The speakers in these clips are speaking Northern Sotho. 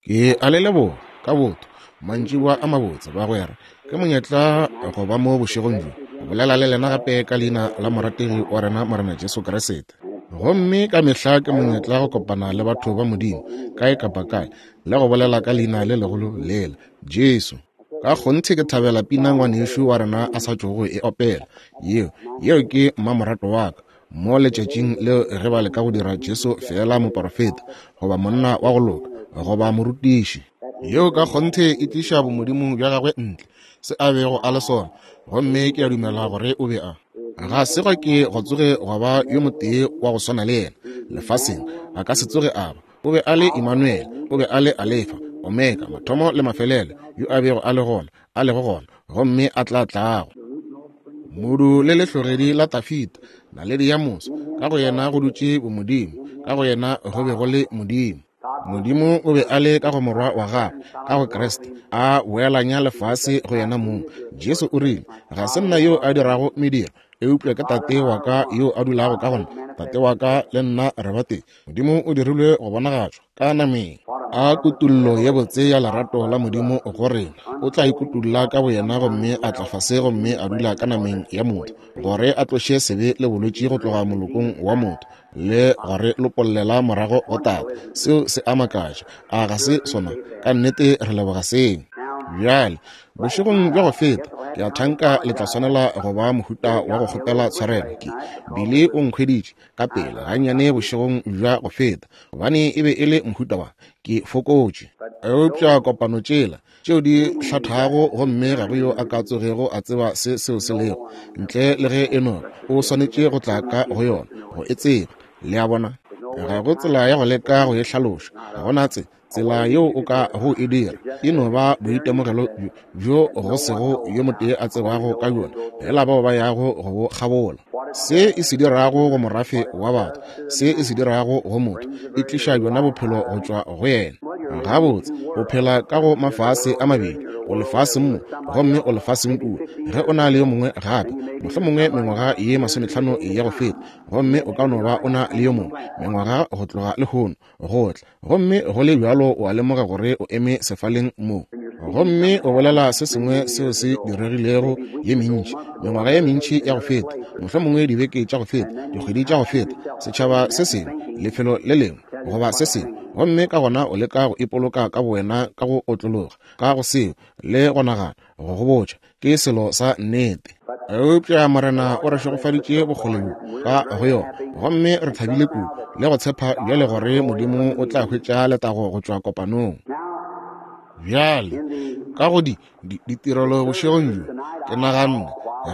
Ke a le leboga ka botho mantšiboa a mabotse bagwera. Ke monyetla go ba mo bošegong bjo go bolela le lena gape ka leina la morategi wa rena Morena Jesu Kriste. Gomme ka mehla ke monyetla go kopana le batho ba Modimo kae kapa kae le go bolela ka leina le legolo lela, Jesu. Ka kgonthe ke thabela pina ngwanešu wa rena a sa tšogo e opela. Yeo, yeo ke mmamoratwa wa ka. Mo letšatšing leo ge ba leka go dira Jesu feela moporofeta, goba monna wa go loka, goba morutiši, yeo ka kgonthe e tliša bomodimo bja gagwe ntle, se a bego a le sona. Gomme ke a dumela gore o be a. Ga se gwa ke gwa tsoge gwa ba yo motee wa go swana le yena lefaseng, a ka se tsoge a ba. O be a le Imanuele, o be a le Alefa, Omega, mathomo le mafelelo, yo a bego a le gona, a lego gona, gomme a tla tlago. Modu le lehlogedi la Tafita, naledi ya moso, ka go yena go dutše bomodimo, ka go yena go be go le Modimo. Modimo o be a le ka go Morwa wa gagwe, ka go Kriste, a boelanya lefase go yena mong. Jesu o rile, Ga se nna yo a dirago mediro, eupša ke Tate wa ka yo a dulago ka go nna. Tate wa ka le nna re batee. Modimo o dirilwe go bonagatšwa ka nameng. A kutullo ye botse ya lerato la Modimo go rena. O tla ikutulla ka boyena gomme a tla fase gomme a dula ka nameng ya motho, gore a tloše sebe le bolwetši go tloga molokong wa motho, le gore lopollela morago go Tate. Seo se a makatša, a ga se sona? Ka nnete re leboga seo. Bjale, Bošegong bja go feta, ke a thanka le tla swanela go ba mohuta wa go kgopela tshwarelo. Ke bile o nkhweditše ka pela gannyane bošegong bja go feta, gobane e be e le mohuta wa ke fokotše. Eupša kopano tšela tšeo di hlathago, gomme ga go yo a ka tsogego a tseba se seo se lego, ntle le ge e no o swanetše go tla ka go yona go e tseba. Le a bona? Ga go tsela ya go leka go e hlaloša. Ga go na tse, tsela yeo o ka go e dira. E no ba boitemogelo bjo go sego yo motee a tsebago ka bjona, fela bao ba yago go bo kgabola. Se e se dirago go morafe wa batho, se e se dirago go motho, e tliša bjona bophelo go tšwa go yena. Gabotse, o phela ka go mafase a mabedi, o lefaseng mo gomme o lefaseng kua. Ge o na le yo mongwe gape, mohlomongwe mengwaga ye masometlhano ya go feta, gomme o ka no ba o na le yo mongwe mengwaga go tloga lehono go tla, gomme go le bjalo o a lemoga gore o eme sefaleng mo gomme o bolela se sengwe seo se diregilego ye mentši, mengwaga ye mentši ya go feta, mohlomongwe dibeke tša go feta, dikgwedi tša go feta, setšhaba se sengwe, lefelo le lengwe, goba se sengwe, gomme ka gona o leka go ipoloka ka bowena ka go otlologa ka go seo le go nagana go go botša ke selo sa nnete. Eupša Morena o re šegofaditše bokgole bjo ka go yona, gomme re thabile kudu le go tshepa bjale gore Modimo o tla hwetša letago go tšwa kopanong. Bjale, ka go di, di, ditirelo bošegong bjo, ke naganne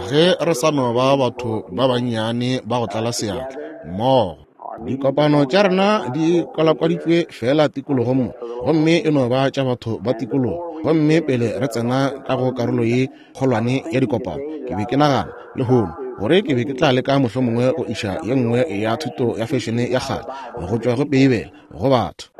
ge re sa no ba batho ba bannyane ba go tlala seatla mmogo. Dikopano tša rena di kwalakwaditšwe feela tikologong mo, gomme e no ba tša batho ba tikologo. Gomme pele re tsena ka go karolo ye kgolwane ya dikopano, ke be ke nagana, lehono, gore ke be ke tla leka mohlomongwe go iša ye nngwe ya thuto ya fešene ya kgale go tšwa go Beibele go batho,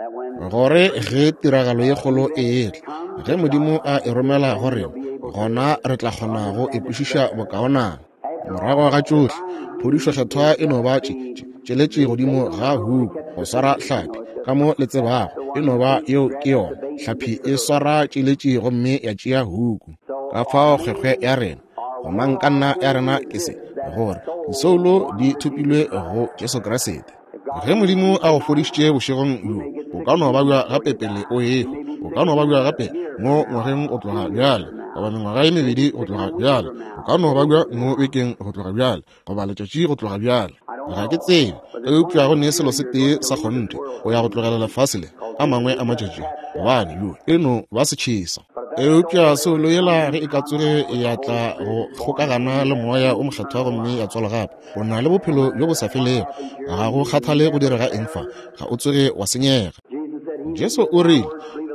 gore ge tiragalo ye kgolo e etla, ge Modimo a e romela go rena, gona re tla kgona go e kwešiša bokaonana. Morago ga tšohle, phodišo Kgethwa e no ba tše, tše, tšeletše godimo ga huku go swara hlapi. Ka mo le tsebago, e no ba yeo ke yona. Hlapi e swara tšeletše gomme ya tšea huku. Ka fao kgwekgwe ya rena, gomangkanna ya rena ke se, gore disoulo di thopilwe go Jesu Kriste. Ge Modimo a go fodišitše bošegong bjo, o ka no babja gape pele o ehwa. O ka no babja gape mo ngwageng go tloga bjale, goba mengwaga ye mebedi go tloga bjale. O ka no babja mo bekeng go tloga bjale, goba letšatši go tloga bjale. Ga ke tsebe, eupša go ne selo se tee sa kgonthe, o ya go tlogela lefase le a mangwe a matšatši, gobane yo e no ba setšhesa. Eupša soulo yela ge e ka tsoge ya tla go kgokagana le Moya o Mokgethwa gomme ya tswalwa gape, O na le bophelo bjo bo sa felego. Ga go kgathale go direga eng fa, ga o tsoge wa senyega. Jesu o rile,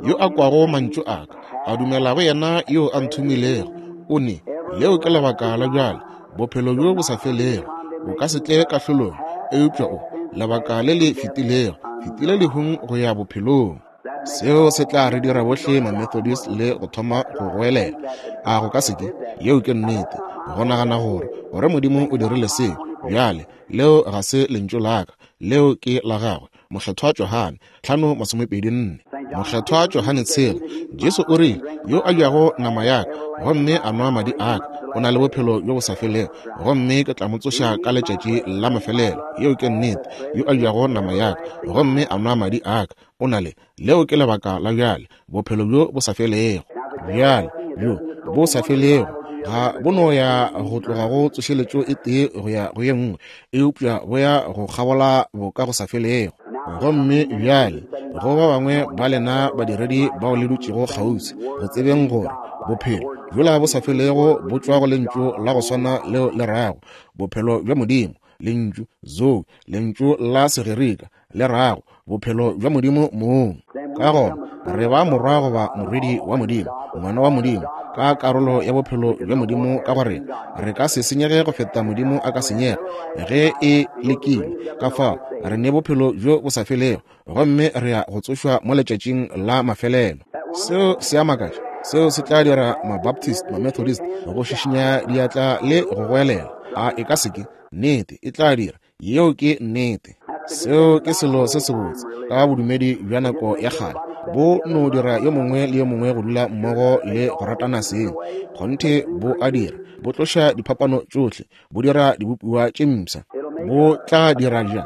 Yo a kwago mantšu a ka, a dumela go yena yo a nthomilego, o ne, leo ke lebaka la bjale, bophelo bjo bo sa felego. O ka se tle kahlolong, eupša o, lebaka le le fetilego, fetile lehung go ya bophelong. Seo se tla re dira bohle Mamethodist le go thoma go goelela. A go ka se ke? Yeo ke nnete. Go nagana gore, gore Modimo o dirile seo. Bjale, leo ga se lentšu la ka, leo ke la gagwe. Mokgethwa Johane, 5:24. Mokgethwa Johane tshela, Jesu o rile, Yo a jago nama ya ka gomme a nwa madi a ka o na le bophelo bjo bo sa felego, gomme ke tla mo tsoša ka letšatši la mafelelo. Yeo ke nnete. Yo a jago nama ya ka gomme a nwa madi a ka o na le, leo ke lebaka la bjale, bophelo bjo bo sa felego. Bjale, bjo bo sa felego ga bo no ya go tloga go tsošeletšo e tee go ya go ye nngwe, eupša bo ya go kgabola boka go sa felego. Gomme bjale, go ba bangwe ba lena badiredi bao le dutšego kgauswi, go tsebeng gore bophelo bjola bo sa felego bo tšwa go lentšu la go swana leo le rago bophelo bja Modimo, lentšu zoe, lentšu la Segerika le rago bophelo bja Modimo mong. Ka gona re ba morwa goba morwedi wa Modimo, ngwana wa Modimo, ka karolo ya bophelo bja Modimo ka go rena. Re ka se senyege go feta Modimo a ka senyega ge e lekile. Ka fao re ne bophelo bjo bo sa felego, gomme re ya go tsošwa mo letšatšing la mafelelo. Seo se a makatša. Seo se tla dira Mabaptist, Mamethodist go šišinya diatla le go goelela. A e ka se ke? Nnete, e tla dira. Yeo ke nnete. Seo ke selo se sebotse ka bodumedi bja nako ya kgale, bo no dira yo mongwe le yo mongwe go dula mmogo le go ratana seng. Kgonthe bo a dira, bo tloša diphapano tšohle, bo dira dibopiwa tše mpsha. Bo tla dira ja,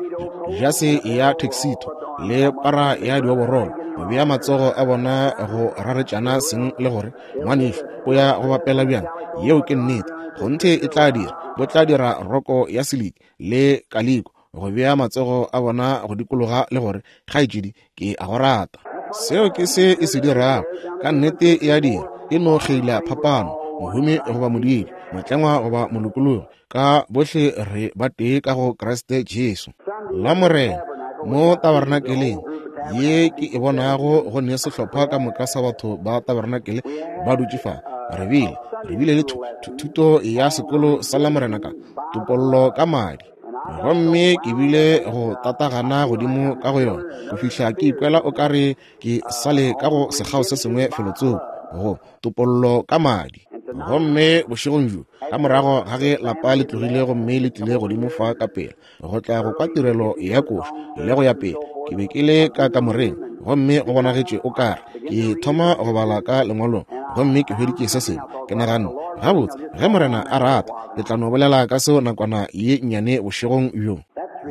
jase ya tuxedo le para ya dioborolo, go bea matsogo a bona go raretšana seng le gore, Ngwanešu, o ya go bapela bjang? Yeo ke nnete. Kgonthe e tla dira. Bo tla dira roko ya siliki le kaliko, go bea matsogo a bona go dikologa le gore, Kgaetšedi, ke a go rata. Seo ke se e se dirago. Ka nnete e a dira. E no kgeila phapano, mohumi goba modiidi, motlengwa goba molokologi, ka bohle re ba tee ka go Kriste Jesu. La Morena, mo tabernakeleng ye ke e bonago go ne sehlopha ka moka sa batho ba tabernakele ba dutše fa. Re bile, re bile le thuto ya sekolo sa la Morena ka topollo ka madi. Gomme ke bile go tatagana godimo ka go yona go fihla ke ikwela o ka re ke sale ka go sekgao se sengwe felotsoko, go topollo ka madi. Gomme bošegong bjo, ka morago ga ge lapa le tlogile gomme le tlile godimo fa ka pela go tla go kwa tirelo ya košo le go ya pele, ke be ke le ka kamoreng, gomme go bonagetše o kare ke thoma go bala ka lengwalong, gomme ke hweditše se sengwe. Ke naganne, Gabotse, ge Morena a rata, ke tla no bolela ka seo nakwana ye nnyane bošegong bjo.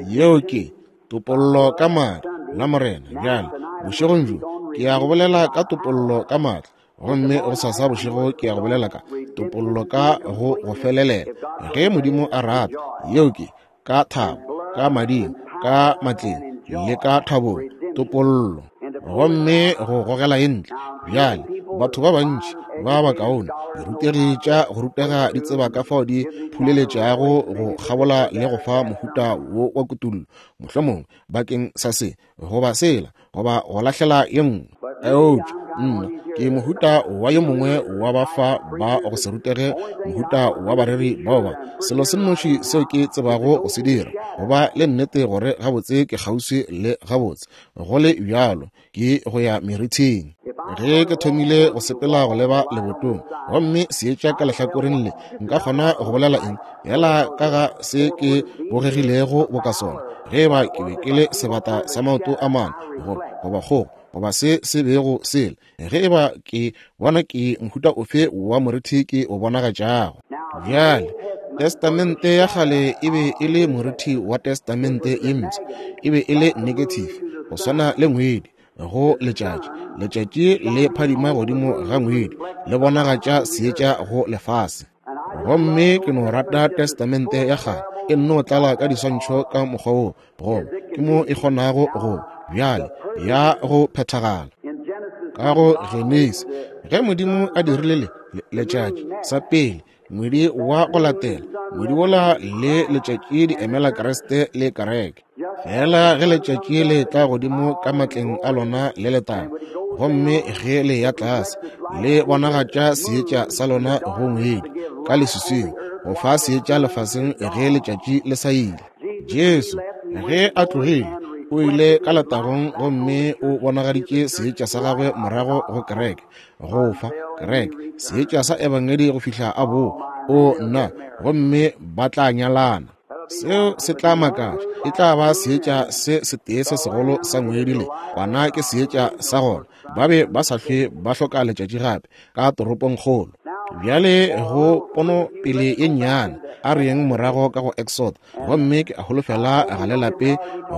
Yeo ke topollo ka madi la Morena. Bjale, bošegong bjo, ke ya go bolela ka topollo ka maatla, gomme go sasa bošego ke ya go bolela ka topollo ka go go felelela, ge Modimo a rata. Yeo ke ka thabo, ka mading, ka matleng le ka thabong, topollo, gomme go gogela e ntle. Bjale, batho ba bantši ba bakaone, dirutegi tša go rutega di tseba ka fao di phuleletšago go kgabola le go fa mohuta wo wa kutullo, mohlomongwe bakeng sa se goba sela, goba go lahlela ye nngwe. Eupša nna ke mohuta wa yo mongwe wa ba fa ba go se rutege, mohuta wa bareri bao ba selo se nnoši seo ke tsebago go se dira, go ba le nnete gore gabotse ke kgauswi le gabotse, go le bjalo ke go ya merithing. Ge ke thomile go sepela go leba lebotong, gomme seetša ka lehlakoreng le, nka kgona go bolela eng fela ka ga se ke bogegilego boka sona, ge eba ke be ke le sebata sa maoto a mane, goba kgogo, goba se se bego sele, ge eba ke bona ke mohuta ofe wa morithi ke o bonagatšago. Bjale, Testamente ya Kgale e be e le morithi wa Testamente ye Mpsha, e be e le negative, go swana le ngwedi go letšatši. Letšatši le phadima godimo ga ngwedi, le bonagatša seetša go lefase. Gomme ke no rata Testamente ya Kgale, e nno tlala ka diswantšho ka mokgwa wo, goba ke mo e kgonago go bjale ya go phethagala. Ka go Genesi, ge Modimo a dirile le, letšatši sa pele, ngwedi wa go latela, ngwedi wola le letšatši di emela Kriste le kereke. Fela ge letšatši le tla godimo ka matleng a lona le letago, gomme ge le ya tlase, le bonagatša seetša sa lona go ngwedi ka leswiswing, go fa seetša lefaseng ge letšatši le sa ile. Jesu, ge a tlogile, o ile ka letagong gomme o bonagaditše seetša sa gagwe morago go kereke, go fa kereke seetša sa ebangedi go fihla a boa. O nna, gomme ba tla nyalana. Seo se tla makatša. E tla ba seetša se setee se segolo sa ngwedi le Kwana ke seetša sa gona. Ba be ba sa hlwe ba hloka letšatši gape ka toropongkgolo. Bjale go pono pele ye nnyane, a re yeng morago ka go Exodo. Gomme ke a holofela ga le lape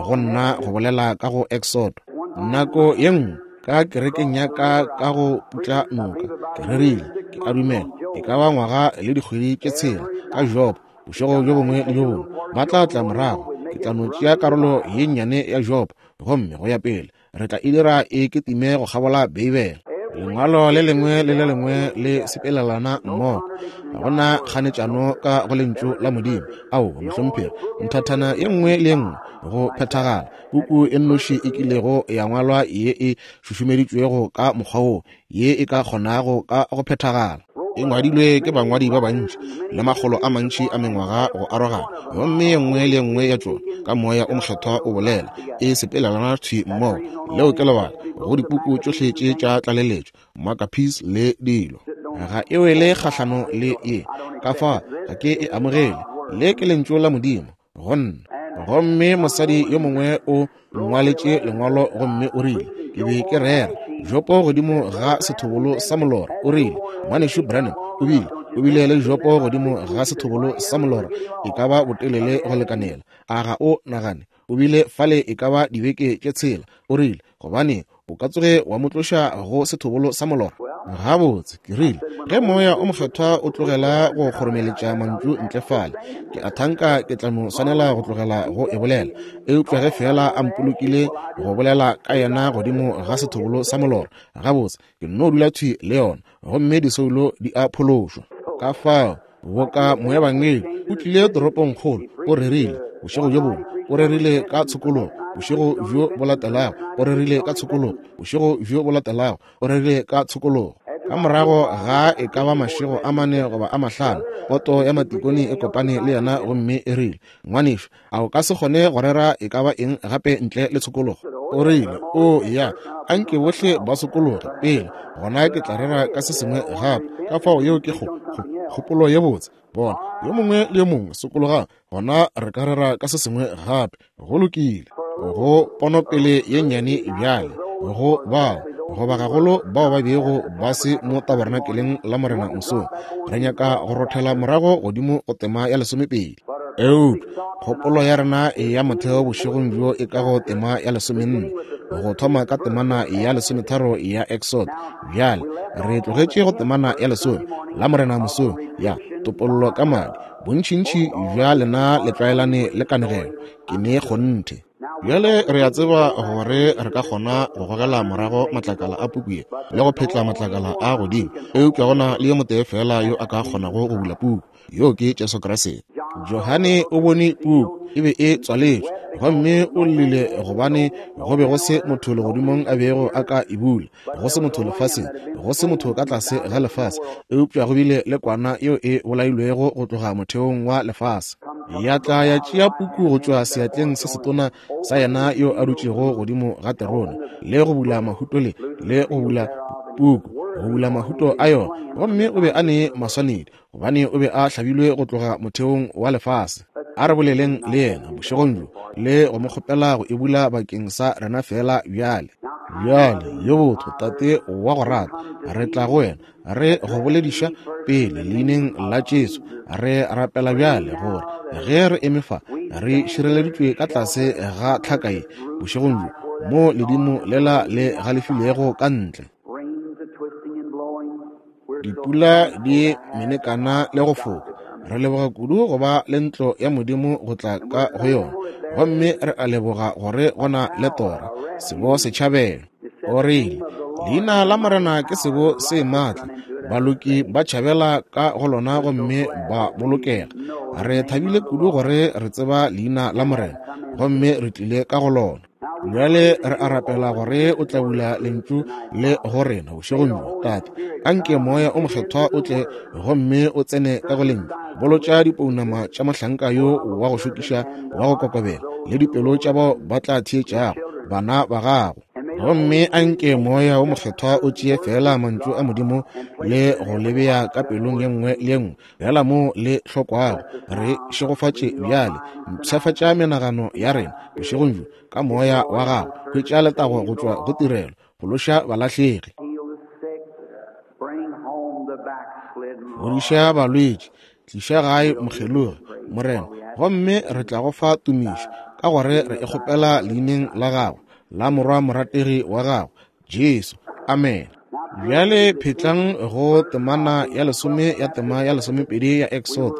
go nna go bolela ka go Exodo. Nako ye nngwe ka kerekeng ya ka ka go putla noka, ke rerile, ke a dumela, e ka ba ngwaga le dikgwedi tše tshela, ka Job, bošego bjo bongwe le bjo bongwe ba tla tla morago. Ke tla no tšea karolo ye nnyane ya Job, gomme go ya pele re tla e dira e kitime go kgabola Beibele. Lengwalo le lengwe le le lengwe le sepelelana mmogo. Ga go na kganetšano ka go Lentšu la Modimo. Aowa, mohlomphegi. Nthathana ye nngwe le ye nngwe go phethagala. Puku e nnoši e kilego ya ngwalwa ye e šušumeditšwego ka mokgwa wo, ye e ka kgonago ka go phethagala. E ngwadilwe ke bangwadi ba bantši le makgolo a mantši a mengwaga go arogana, gomme ye nngwe le ye nngwe ya tšona ka Moya o Mokgethwa o bolela, e sepelelana thwi mmogo. Leo ke lebaka go dipuku tšohle tše tša tlaleletšo, Maccabees le dilo. Ga e wele kgahlano le ye, ka fa ga ke e amogele. Le ke Lentšu la Modimo go nna. Gomme mosadi yo mongwe o nngwaletše lengwalo gomme o rile, ke be ke rera jopo godimo ga sethobolo sa molora. O rile, Ngwanešu Branham, o bile, o bile le jopo godimo ga sethobolo sa molora e ka ba botelele go lekanela. A ga o nagane o bile fale e ka ba dibeke tše tshela? O rile, Gobane o ka tsoge wa mo tloša go sethobolo sa molora? Gabotse, ke rile, ge Moya o Mokgethwa o tlogela go kgoromeletša mantšu ntle fale, ke a thanka ke tla no swanela go tlogela go e bolela. Eupša ge feela a mpolokile go bolela ka yena godimo ga sethobolo sa molora, gabotse, ke nno dula thwi le yona, gomme disoulo di a phološwa. Ka fao, boka moebangedi o tlile toropongkgolo, o rerile bošego bjo bongwe, o rerile ka tshokologo, bošego bjo bo latelago o rerile ka tshokologo, bošego bjo bo latelago o rerile ka tshokologo. Ka morago ga e ka ba mašego a mane goba a mahlano, poto ya matikone e kopane le yena gomme e rile, Ngwanešu, a o ka se kgone go rera e ka ba eng gape ntle le tshokologo? O rile, O ya, a nke bohle ba sokologe pele, gona ke tla rera ka se sengwe gape. Ka fao yeo ke kgo, kgo, kgopolo ye botse. Bona, yo mongwe le yo mongwe sokologang, gona re ka rera ka se sengwe gape. Go lokile. Go ponopele ye nnyane bjale, go bao, goba gagolo bao ba bego ba se mo tabernakeleng la Morena mosong, re nyaka go rothela morago godimo go tema ya lesomepedi. Eupša kgopolo ya rena ya motheo bošegong bjo e ka go tema ya lesomenne, go thoma ka temana ya lesometharo ya Exodo. Bjale re tlogetše go temana ya lesome la Morena mosong ya topollo ka madi. Bontšintši bja lena le tlwaelane le kanegelo, ke ne kgonthe. Bjale re a tseba gore re ka kgona go gogela morago matlakala a puku ye le go phetla matlakala a godimo, eupša go na le yo motee feela yo a ka kgonago go bula puku, yoo ke Jesu Kriste. Johane o bone puku e be e tswaletšwe, gomme o llile gobane go be go se motho legodimong a bego a ka e bula, go se motho lefaseng, go se motho ka tlase ga lefase, eupša go bile le kwana yeo e bolailwego go tloga motheong wa lefase, ya tla ya tšea puku go tšwa seatleng se setona sa yena yo a dutšego godimo ga terone, le go bula mahuto le, le go bula puku, go bula mahuto a yona. Gomme o be a ne maswanedi, gobane o be a hlabilwe go tloga motheong wa lefase. A re boleleng le yena bošegong bjo le go mo kgopela go e bula bakeng sa rena feela bjale. Bjale, yo botho Tate wa go rata, re tla go wena re go bolediša pele leineng la Jesu. Re rapela bjale gore ge re eme fa re šireleditšwe ka tlase ga tlhaka ye bošegong bjo, mo ledimo lela le galefilego ka ntle, dipula di menekana le go foka. Re leboga kudu go ba le ntlo ya Modimo go tla ka go yona, gomme re a leboga gore go na le tora, sebo setšhabelo. O rile, Leina la Morena ke sebo se maatla, baloki ba tšhabela ka go lona gomme ba bolokega. Re thabile kudu gore re tseba leina la Morena gomme re tlile ka go lona. Bjale re a rapela gore o tla bula lentšu le go rena bošegong bjo, Tate. Anke Moya o Mokgethwa o tle gomme o tsene ka go lentšu. Bolotša dipounama tša mohlanka yo wa go šokiša wa go kokobela, le dipelo tša bao ba tla theetšago, bana ba gago. Gomme a nke Moya wo Mokgethwa o tšee feela Mantšu a Modimo le go le bea ka pelong ye nngwe le ye nngwe, feela moo le hlokwago. Re šegofatše bjale. Mpshafatša menagano ya rena bošegong bjo ka Moya wa Gago. Hwetša letago go tšwa go tirelo. Phološa balahlegi. Fodiša balwetši. Tliša gae mokgelogi, Morena, gomme re tla go fa tumišo, ka gore re e kgopela Leineng la Gago, la Morwa morategi wa Gago, Jesu. Amene. Bjale phetlang go temana ya lesome ya tema ya lesomepedi ya Exodo.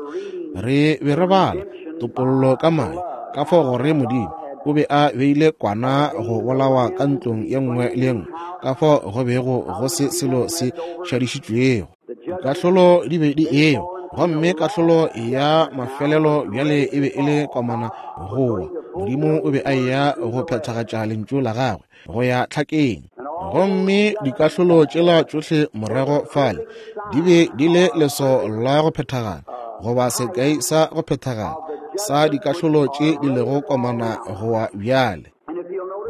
Re be re bala topollo ka madi, ka fao gore Modimo o be a beile kwana go bolawa ka ntlong ye nngwe le ye nngwe, ka fao go bego go se selo se šadišitšwego. Kahlolo di be di ewa, gomme kahlolo ya mafelelo bjale e be e le komana gowa. Modimo o be a eya go phethagatša lentšu la gagwe go ya tlhakeng. Gomme dikahlolo tšela tšohle morago fale di be di le leso la go phethagala, goba sekai sa go phethagala sa dikahlolo tše di lego komana gowa bjale.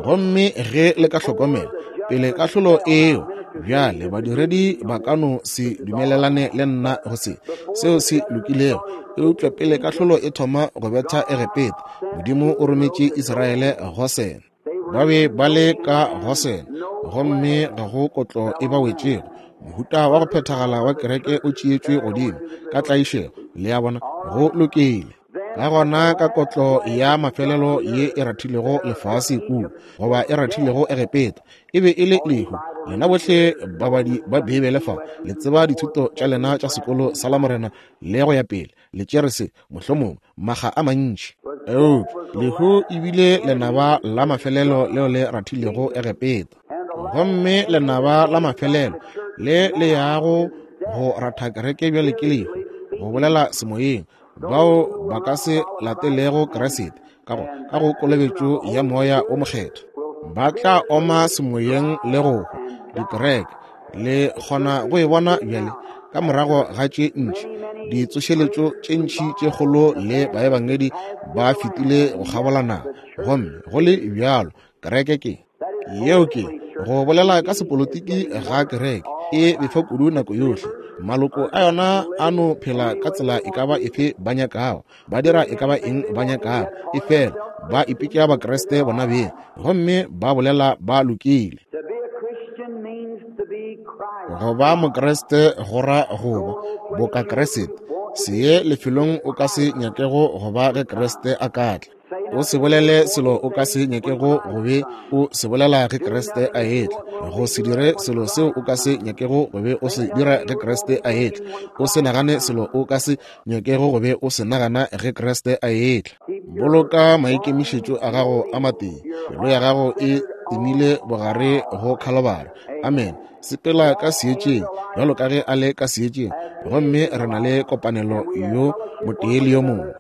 Gomme ge le ka hlokomela, pele kahlolo eo, bjale badiredi ba ka no se dumelelane le nna go se, seo se lokilego, eupša pele kahlolo e thoma go betha Egepeta, Modimo o rometše Israele Gosene. Ba be ba le ka Gosene, gomme ga go kotlo e ba wetšego. Mohuta wa go phethagala wa kereke o tšeetšwe godimo ka tlaišego, le a bona, go lokile. Ka gona ka kotlo ya mafelelo ye e rathilego lefase kua, goba e rathilego Egepeta, e be e le lehu. Lena bohle babadi ba Beibele fa, le tseba dithuto tša lena tša sekolo sa Lamorena le go ya pele, le tšere se, mohlomongwe, makga a mantši. Eupša lehu e bile lenaba la mafelelo leo le rathilego Egepeta. Gomme lenaba la mafelelo le le yago go ratha kereke bjale ke lehu, go bolela semoyeng, bao ba ka se latelego Kriste ka go ka go kolobetšo ya Moya o Mokgethwa ba tla oma semoyeng le go hwa. Dikereke le kgona go e bona bjale ka morago ga tše ntši ditsošeletšo tše ntši tše kgolo le baebangedi ba fetile go kgabola naga, gomme go le bjalo kereke ke yeo ke go bolela ka sepolotiki ga kereke e befa kudu nako yohle. Maloko a yona a no phela ka tsela e ka ba efe ba nyakago, ba dira e ka ba eng ba nyakago, efela ba ipitša Bakriste bona beng gomme ba bolela ba lokile. Go ba Mokriste go ra go ba boka Kriste. Se ye lefelong o ka se nyakego go ba ge Kriste a ka tla. O se bolele selo o ka se nyakego go be o se bolela ge Kriste a etla. Go se dire selo seo o ka se nyakego go be o se dira ge Kriste a etla. O se nagane selo o ka se nyakego go be o se nagana ge Kriste a etla. Boloka maikemišetšo a gago a matee. Pelo ya gago e timile bogare go Khalobara. Amen. Sepela ka seetšeng bjalo ka ge a le ka seetšeng, gomme re na le kopanelo yo motee le yo mongwe.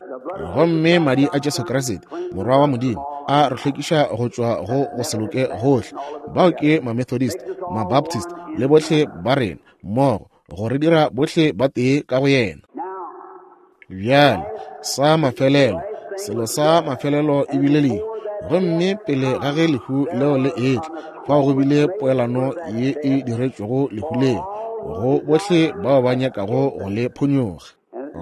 Gomme madi a Jesu Kriste, Morwa wa Modimo, a re hlwekiša go tšwa go go se loke gohle. Bao ke Mamethodist, Mabaptist le bohle ba rena mmogo, go re dira bohle ba tee ka go yena. Bjale, sa mafelelo, selo sa mafelelo e bile lehu. Gomme pele ga ge lehu leo le etla, fao go bile poelano ye e diretšwego lehu leo, go bohle bao ba nyakago go le phonyokga.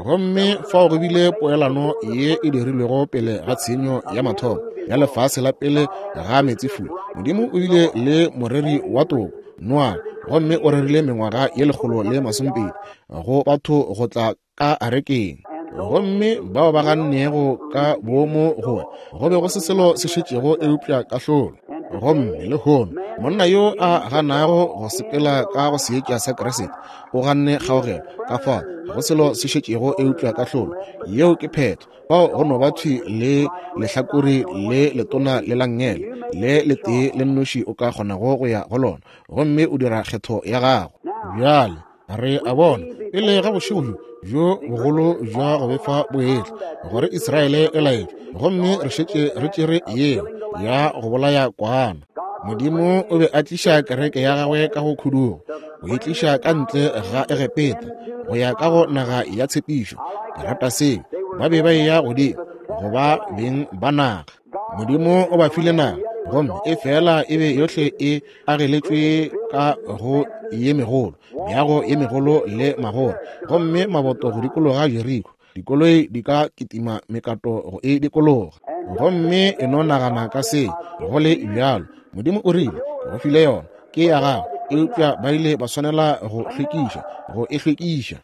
Gomme fao go bile poelano ye e dirilwego pele ga tshenyo ya mathomo ya lefase la pele ga meetsefula. Modimo o bile le moreri wa toko, Noa, gomme o rerile mengwaga ye 120 go batho go tla ka arekeng. Gomme bao ba gannego ka boomo go go be go se selo se šetšego eupša kahlolo. Gomme lehono monna yo a ganago go sepela ka go seetša sa Kriste o ganne kgaogelo, ka fao ga go selo se šetšego eupša kahlolo. Yeo ke phetho. Fao go no ba thwi le lehlakore le letona le la nngele le letee le nnoši o ka kgonago go ya go lona, gomme o dira kgetho ya gago. Bjale re a bona pele ga bošego bjo bjo bogolo bja go befa bo etla, gore Israele e laetšwe, gomme re šetše re tšere yeo ya go bolaya kwana. Modimo o be a tliša kereke ya gagwe ka go khudugo, go e tliša ka ntle ga Egepeta go ya ka go naga ya tshepišo. Ke rata seo. Ba be ba eya godimo go ba beng ba naga. Modimo o ba file naga. Gomme efela e be yohle e ageletšwe ka go ye megolo, meago ye megolo le magoro, gomme maboto go dikologa Jeriko. Dikoloi di ka kitima mekato go e dikologa. Gomme e no nagana ka se, go le bjalo, Modimo o rile, Ke go file yona, ke ya gago. Eupša ba ile ba swanela go hlwekiša, go e hlwekiša.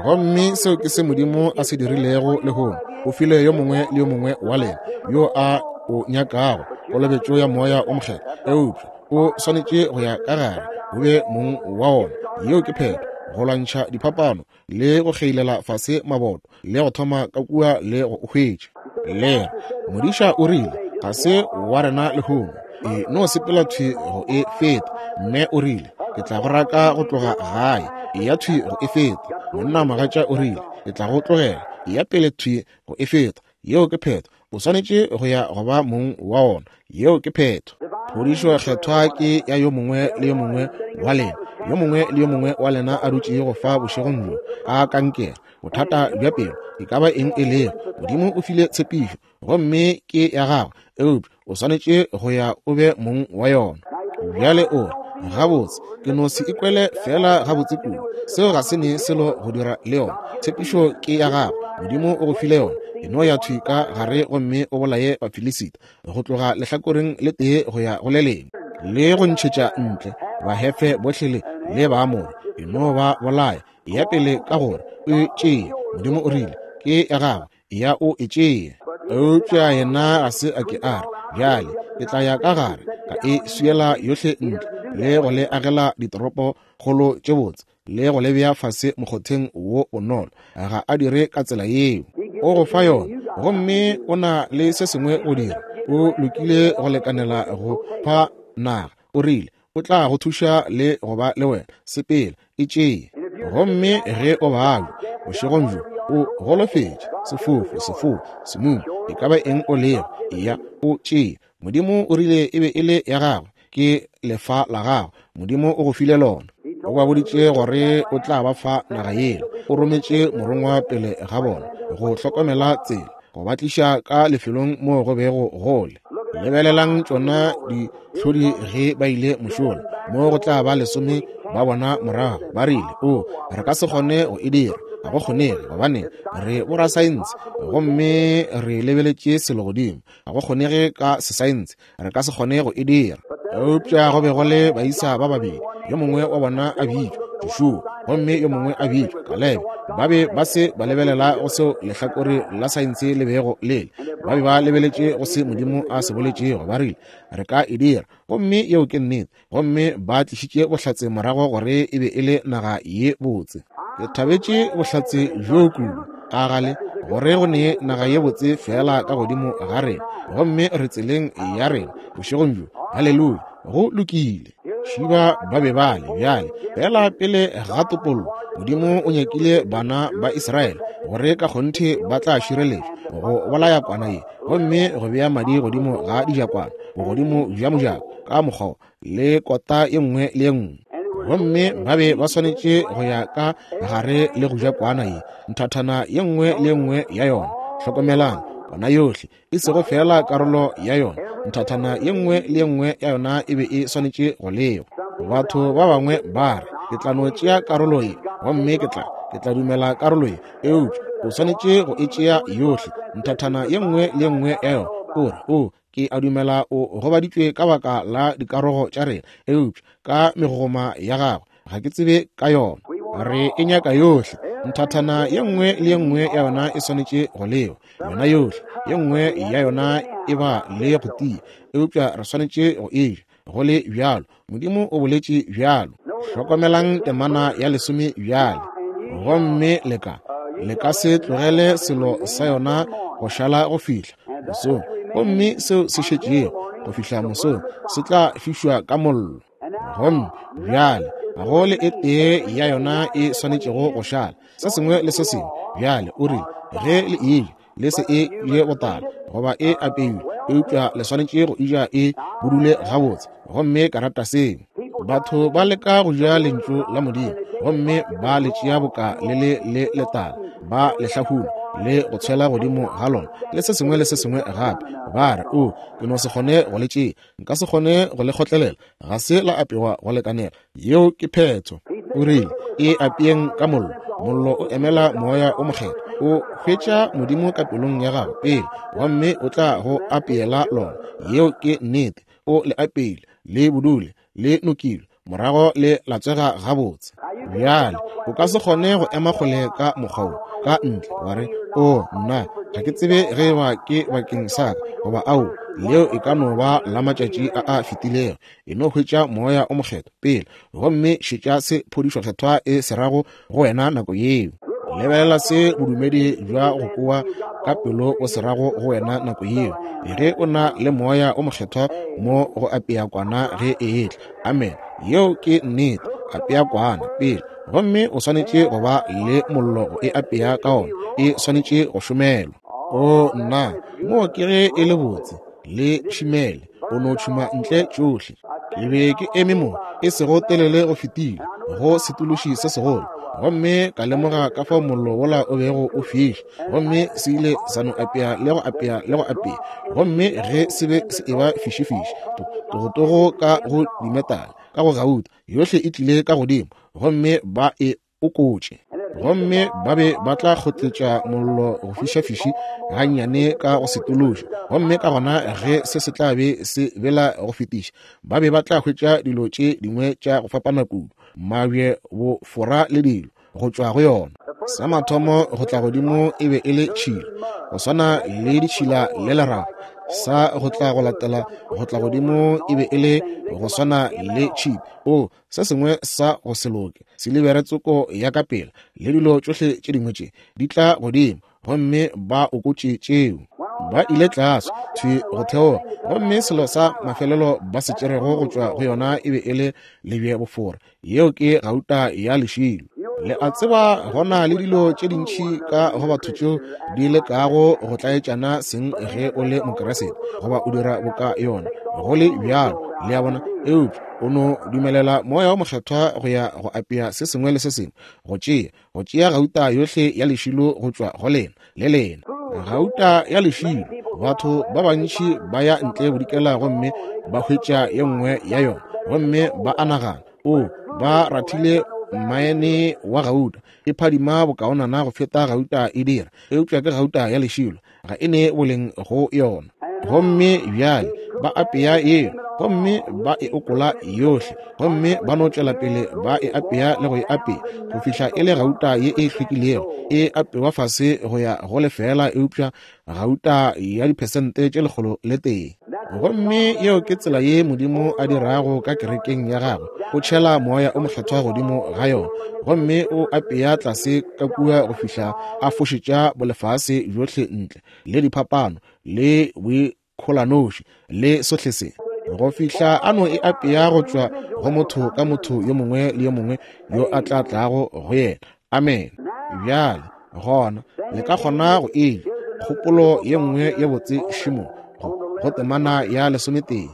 Gomme seo ke se Modimo a se dirilego lehono. O file yo mongwe le yo mongwe wa lena yo a o nyakago kolobetšo ya Moya o Mokgethwa, eupša o swanetše go ya ka gare o be mong wa ona. Yeo ke phetho, go lwantšha diphapano le go kgeilela fase maboto le go thoma ka kua le go o hwetša. Le re, Modiša o rile, ga se wa rena lehono. E no sepela thwi go e feta. Mme o rile, ke tla go raka go tloga gae. Eya thwi go e feta. Monna mogatša o rile, ke tla go tlogela. Eya pele thwi go e feta. Yeo ke phetho. O swanetše go ya go ba mong wa ona. Yeo ke phetho. Phodišo Kgethwa ke ya yo mongwe le yo mongwe wa lena. Yo mongwe le yo mongwe wa lena a dutšego fa bošegong bjo a kankere, bothata bja pelo, e ka ba eng e lego, Modimo o file tshepišo, gomme ke ya gagwe, eupša o swanetše go ya o be mong wa yona. Bjale o re, Gabotse, ke no se ikwele feela gabotse kudu. Seo ga se ne selo go dira le yona. Tshepišo ke ya gago. Modimo o go file yona. E no ya thwi ka gare gomme o bolaye Bafilisita, go tloga lehlakoreng le tee go ya go le lengwe, le go ntšhetša ntle Bahefe bohle le, le Baamore. E no ba bolaya. Eya pele ka gore o e tšee. Modimo o rile, Ke ya gago. Eya o e tšee. Eupša yena ga se a ke a re, Bjale ke tla ya ka gare, ka e swiela yohle ntle, le go le agela ditoropo kgolo tše botse, le go le bea fase mokgotheng wo bonolo. Ga a dire ka tsela yeo. O go fa yona, gomme o na le se sengwe go dira. O lokile go lekanela go fa naga. O rile, O tla go thuša le go ba le wena. Sepela, e tšee. Gomme ge o babja bošegong bjo, o golofetše, sefofu, sefou, semumu, e ka ba eng o lego, eya o tšee. Modimo o rile e be e le ya gagwe, ke lefa la gagwe. Modimo o go file lona. O ba boditše gore o tla ba fa naga yela. O rometše morongwa pele ga bona go hlokomela tsela, go ba tliša ka lefelong moo go bego go le. Lebelelang tšona dihlodi ge ba ile mošola, mo go tla ba lesome ba bona morago, ba rile, O, re ka se kgone go e dira. Ga go kgonege, gobane re borasaense gomme re lebeletše selo godimo. Ga go kgonege ka sesaense, re ka se kgone go e dira. Eupša go be go le baisa ba babedi, yo mongwe wa bona a bitšwa Joshua gomme yo mongwe a bitšwa Kalebe. Ba be ba se ba lebelela go seo lehlakore la saense le bego le le. Ba be ba lebeletše go se Modimo a se boletšego. Ba rile, Re ka e dira. Gomme yeo ke nnete. Gomme ba tlišitše bohlatse morago gore e be e le naga ye botse. Ke thabetše bohlatse bjoo kudu, a gale, gore go ne naga ye botse feela ka godimo ga rena, gomme re tseleng ya rena bošegong bjo. Haleluya! Go lokile. Šiba ba be ba le bjale, feela pele ga topollo, Modimo o nyakile bana ba Israele gore ka kgonthe ba tla šireletšwa go bolaya kwana ye, gomme go bea madi godimo ga dijakwana, bogodimo bja mojako, ka mokgwa le kota ye nngwe le ye nngwe. Gomme ba be ba swanetše go ya ka gare le go ja kwana ye, nthathana ye nngwe le ye nngwe ya yona. Hlokomelang, kwana yohle, e sego feela karolo ya yona, nthathana ye nngwe le ye nngwe ya yona e be e swanetše go lewa. Batho ba bangwe ba re, Ke tla no tšea karolo ye, gomme ke tla, ke tla dumela karolo ye. Eupša o swanetše go e tšea yohle, nthathana ye nngwe le ye nngwe ya yona. O re, O, ke a dumela o gobaditšwe ka baka la dikarogo tša rena, eupša ka megogoma ya gagwe ga ke tsebe ka yona. Re e nyaka yohle. Nthathana ye nngwe le ye nngwe ya yona e swanetše go lewa, yona yohle. Ye nngwe ya yona e ba le go tia, eupša re swanetše go e ja go le bjalo. Modimo o boletše bjalo. Hlokomelang temana ya lesome bjale. Gomme le ka, le ka se tlogele selo sa yona go šala go fihla mosong, gomme seo se šetšego go fihla mosong se tla fišwa ka mollo. Gomme bjale ga go le e tee ya yona e swanetšego go šala, se sengwe le se sengwe. Bjale o rile, ge le eja, le se e je botala goba e apeilwe, eupša le swanetše go eja e budule gabotse. Gomme ka rata seo. Batho ba leka go ja Lentšu la Modimo, gomme ba le tšea boka le le le letala, ba le hlahuna. le go tshwela godimo ga lona, le se sengwe le se sengwe gape. Ba re, O, ke no se kgone go le tšea. Nka se kgone go le kgotlelela. Ga se la apewa go lekanela. Yeo ke phetho. O rile, E apeeng ka mollo. Mollo o emela Moya o Mokgethwa. O hwetša Modimo ka pelong ya gago pele, gomme o tla go apeela lona. Yeo ke nnete. O le apeile, le budule, le nokilwe, morago le latswega gabotse. Bjale, o ka se kgone go ema kgole ka mokgwa wo, ka ntle, wa re, O, nna, ga ke tsebe ge eba ke bakeng sa ka, goba ao, leo e ka no ba la matšatši a a fetilego. E no hwetša Moya o Mokgethwa pele, gomme šetša se phodišo Kgethwa e se rago go wena nako yeo. Lebelela se bodumedi bja go kowa ka pelo o se rago go wena nako yeo, ge o na le Moya o Mokgethwa mo go apea kwana ge e etla. Amen. Yeo ke nnete. Apea kwana pele, gomme o swanetše go ba le mollo go e apea ka ona. E swanetše go šomelwa. O nna, moo ke ge e le botse le šimele, o no tšhuma ntle tšohle. Ke be ke eme mo e sego telele go fetile go setološi se segolo, gomme ka lemoga ka fao mollo wola o bego o fiša, gomme se ile sa no apea le go apea le go apea, gomme ge se be se eba fišifiši, togotogo ka go dimetale, ka go gauta, yohle e tlile ka godimo, gomme ba e okotše. Gomme ba be ba tla kgotletša mollo go fišafiši gannyane ka go setološa, gomme ka gona ge se se tla be se bela go fetiša, ba be ba tla hwetša dilo tše dingwe tša go fapana kudu, mabje, bofora le dilo, go tšwa go yona. Sa mathomo go tla godimo e be e le tšhila, go swana le ditšhila le leraga. Sa go tla go latela go tla godimo e be e le go swana le tšhipi. O, se sengwe sa go se loke, silibere tsoko ya ka pela, le dilo tšohle tše dingwe tše di tla godimo, gomme ba okotše tšeo. Ba ile tlase thwi go theoga, gomme selo sa mafelelo ba se tšerego go tšwa go yona e be e le lebje bofora, yeo ke gauta ya lešilo. Le a tseba, go na le dilo tše dintši ka go batho tšeo di lekago go tlaetšana seng ge o le Mokeresete, goba o dira boka yona, go le bjalo, le a bona, eupša o no dumelela Moya wo Mokgethwa go ya go apea se sengwe le se sengwe, go tšea, go tšea gauta yohle ya lešilo go tšwa go lena, le lena. Gauta ya lešilo, batho ba bantši ba ya ntle bodikela gomme ba hwetša ye nngwe ya yona, gomme ba a nagana, O, ba rathile mmaene wa gauta, e phadima bokaonana go feta gauta e dira, eupša ke gauta ya lešilo, ga e ne boleng go yona. Gomme bjale ba apea yeo, gomme ba e okola yohle, gomme ba no tšwela pele ba e apea le go e apea go fihla e le gauta ye e hlwekilego, e apewa fase go ya go lefeela, eupša gauta ya diphesente tše 101. Gomme yeo ke tsela ye Modimo a dirago ka kerekeng ya gagwe. O tšhela Moya o Mokgethwa godimo ga yona, gomme o apea tlase ka kua go fihla a fošetša bolefase bjohle ntle, le diphapano, le boikholanoši, le sohle se, go fihla a no e apea go tšwa go motho ka motho yo mongwe le yo mongwe yo a tla tlago go yena. Amene. Bjale, gona, le ka kgona go e ja. Kgopolo ye nngwe ye botse šimo go, go temana ya lesometee.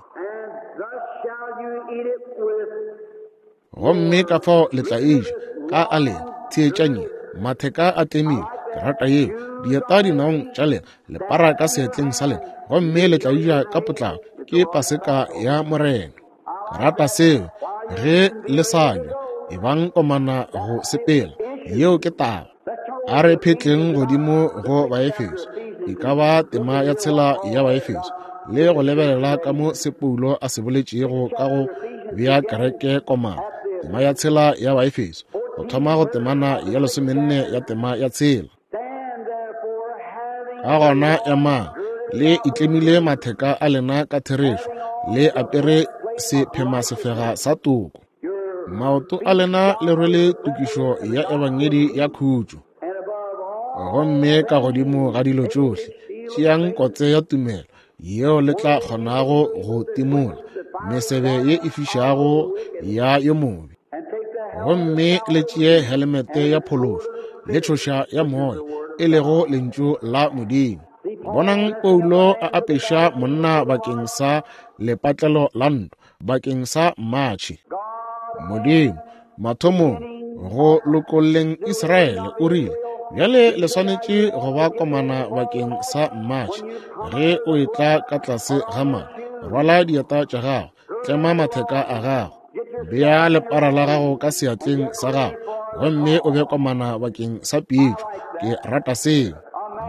Gomme ka fao le tla e ja ka a lena, theetšang ye, matheka a tlemile, ke rata yeo, dieta dinaong tša lena, lepara ka seatleng sa lena, gomme le tla e ja ka potlako, ke Paseka ya Morena. Ke rata seo. Ge le sa ja, ebang komana go sepela. Yeo ke taba. A re phetleng godimo go Baefeso, e ka ba tema ya tshela ya Baefeso, le go lebelela ka mo se Paulo a se boletšego ka go bea kereke komana. Tema ya tshela ya Baefeso, go thoma go temana ya lesomenne ya tema ya tshela. Ka gona emang le itlemile matheka a lena ka therešo, le apere sephemasefega sa toko. Maoto a lena le rwele tokišo ya ebangedi ya khutšo. Gomme ka godimo ga dilo tšohle, tšeang kotse ya tumelo yeo le tla kgonago go timola mesebe ye e fišago ya yo mobe. Gomme le tšee helemete ya phološo le tšhoša ya moya, e lego lentšu la Modimo. Bonang Paulo a apeša monna bakeng sa lepatlelo la ntwa, bakeng sa matšhe. Modimo, mathomong, go lokolleng Israele, o rile, Bjale le swanetše go ba komana bakeng sa mmatšhe. Ge o etla ka tlase ga madi, rwala dieta tša gago, tlema matheka a gago, bea lepara la gago ka seatleng sa gago, gomme o be komana bakeng sa pitšo. Ke rata seo.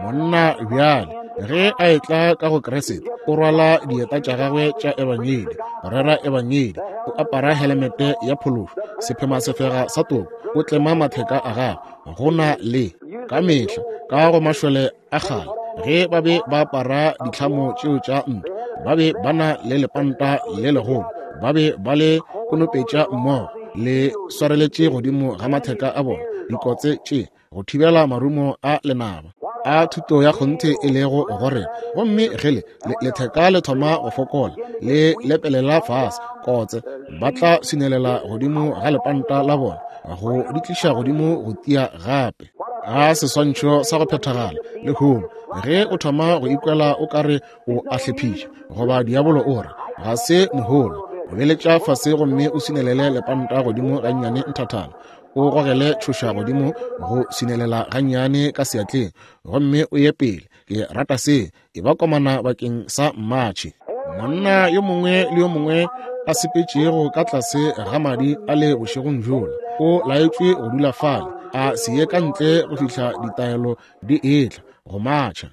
Monna bjale ge a etla ka go Kriste, o rwala dieta tša gagwe tša ebangedi, go rera ebangedi, o apara helemete ya phološo, sephemasefega sa toko, o tlema matheka a gagwe. Go na le ka mehla ka go mašole a kgale, ge ba be ba apara ditlhamo tšeo tša ntwa, ba be ba na le lepanta le legolo, ba be ba le konopetša mmogo, le swareletše godimo ga matheka a bona, dikotse tše go thibela marumo a lenaba a thuto ya kgonthe e lego gore. Gomme ge le letheka le thoma go fokola, le lepelela fase, kotse ba tla swinelela godimo ga lepanta la bona go di tliša godimo go tia gape. A seswantšho sa go phethagala lehono, ge o thoma go ikwela o ka re o a hlephiša, goba diabolo o re ga se mohola, o beletša fase gomme o swinelele lepanta godimo gannyane nthathana, o gogele tšhoša godimo go swinelela gannyane ka seatleng, gomme o ye pele. Ke rata se. E ba komana bakeng sa mmatšhe. Monna yo mongwe le yo mongwe a sepetšego ka tlase ga madi a le bošegong bjola o laetšwe go dula fale, a se ye ka ntle go fihla ditaelo di etla go matšha.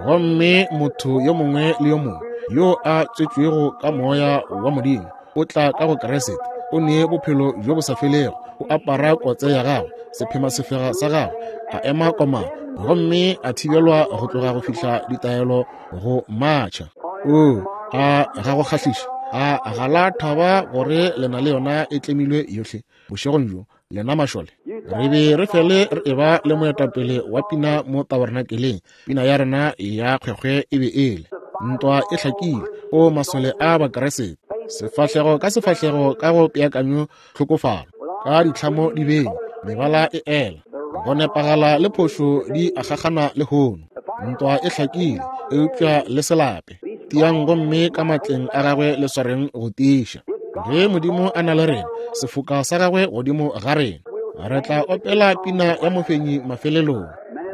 Gomme motho yo mongwe le yo mongwe yo a tswetšwego ka moya wa Modimo o tla ka go Kriste, o ne bophelo bjo bo sa felego, o apara kotse ya gagwe, sephemasefega sa gagwe, a ema komana, gomme a thibelwa go tloga go fihla ditaelo go matšha. O a ga go kgahliša, a ga la thaba gore le na le yona e tlemilwe yohle bošegong bjo, lena mašole. Re be re fele re eba le moetapele wa pina mo tabernakeleng. Pina ya rena ya kgwekgwe e be ele ntwa e hlakile, o masole a Bakriste, sefahlego ka sefahlego ka go peakanyo tlhokofalo, ka ditlhamo di beng, mebala e ela, go nepagala le phošo di agagana lehono. Ntwa e hlakile, eupša le se lape. Tiang gomme ka matleng a gagwe le swareng go tiiša. Ge Modimo a na le rena, sefoka sa gagwe godimo ga rena, re tla opela pina ya mofenyi mafelelong.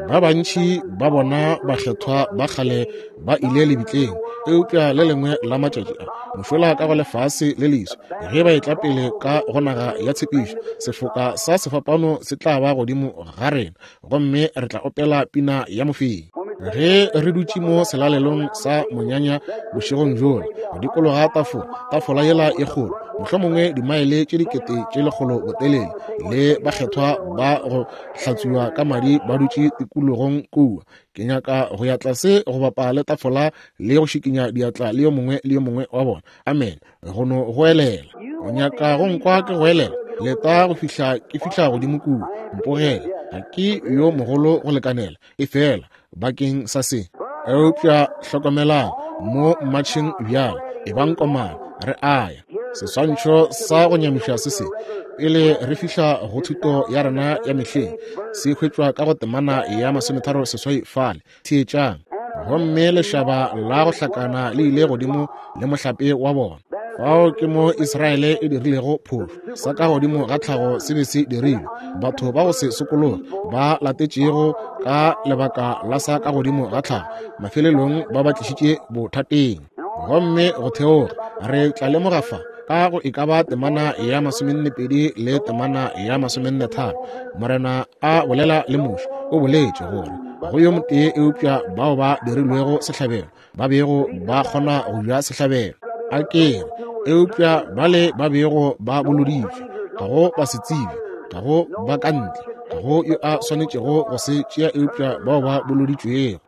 Ba bantši ba bona bakgethwa ba kgale ba ile lebitleng, eupša le lengwe la matšatši a mošola ka go lefase le leswi, ge ba etla pele ka go naga ya tshepišo, sefoka sa sefapano se tla ba godimo ga rena, gomme re tla opela pina ya mofenyi. Ge re dutše mo selalelong sa monyanya bošegong bjola, go dikologa tafola, tafola yela e kgolo, mohlomongwe dimaele tše 100,000 botelele, le bakgethwa ba go hlatswiwa ka madi ba dutše tikologong kua, ke nyaka go ya tlase go bapa le tafola le go šikinya diatla le yo mongwe le yo mongwe wa bona. Amen. Go no goelela. O nyaka go nkwa ke goelela? Leta go fihla ke fihla godimo kua. Mpogele. Ga ke yo mogolo go lekanela, efela bakeng sa se. Eupša hlokomelang mo mmatšheng bjale, ebang komana, re a ya. Seswantšho sa go nyamiša se se pele re fihla go thuto ya rena ya mehleng se hwetšwa ka go temana ya 38 fale. Theetšang. Gomme lešaba la go hlakana le ile godimo le mohlape wa bona. Fao ke mo Israele e dirilego phošo. Sa ka godimo ga tlhago se be se dirilwe. Batho ba go se sokologe ba latetšego ka lebaka la sa ka godimo ga tlhago, mafelelong ba ba tlišitše bothateng. Gomme go theoga, re tla lemoga fa ka go e ka ba temana ya 42 le temana ya 43, Morena a bolela le Moshe, o boletše gore go yo motee eupša bao ba dirilwego sehlabelo ba bego ba kgona go ja sehlabelo, a ke re, eupša bale ba bego ba boloditšwe, ga go ba se tsebe, ga go ba ka ntle, ga go yo a swanetšego go se tšea eupša bao ba boloditšwego.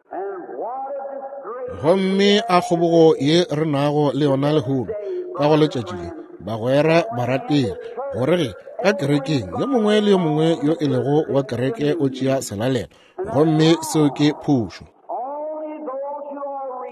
Gomme a kgobogo ye re nago le yona lehono ka go letšatši le, bagwera barategi, gore ge ka kerekeng yo mongwe le yo mongwe yo e lego wa kereke o tšea selalelo, gomme seo ke phošo.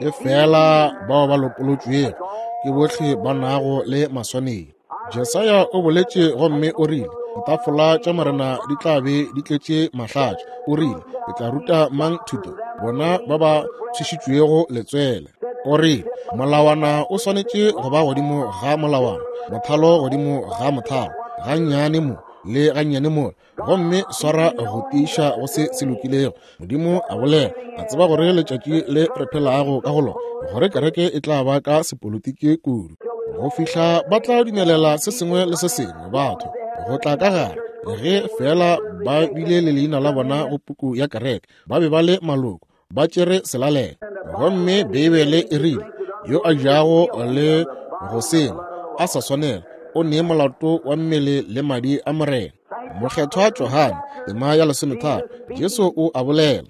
Ke fela bao ba lopolotšwego ke bohle ba nago le maswanedi. Jesaya o boletše gomme o rile, ditafola tša Morena di tla be di tletše mahlatša. O rile, ke tla ruta mang thuto? Bona ba ba tshwešitšwego letswele. O rile, molawana o swanetše go ba godimo ga molawana, mothalo godimo ga mothalo, gannyane mo. le gannyane mola, gomme swara go tiiša go se se lokilego. Modimo a bolela, a tseba gore letšatši le re phelago ka go lona, gore kereke e tla ba ka sepolitiki kudu, go fihla ba tla dumelela se sengwe le se sengwe batho go tla ka gare, ge feela ba bile le leina la bona go puku ya kereke, ba be ba le maloko, ba tšere selalelo. Gomme Beibele e rile, yo a jago le go sengwe a sa swanela, o ne molato wa mmele le madi a Morena. Mokgethwa Johane, tema ya 13, Jesu o a bolela.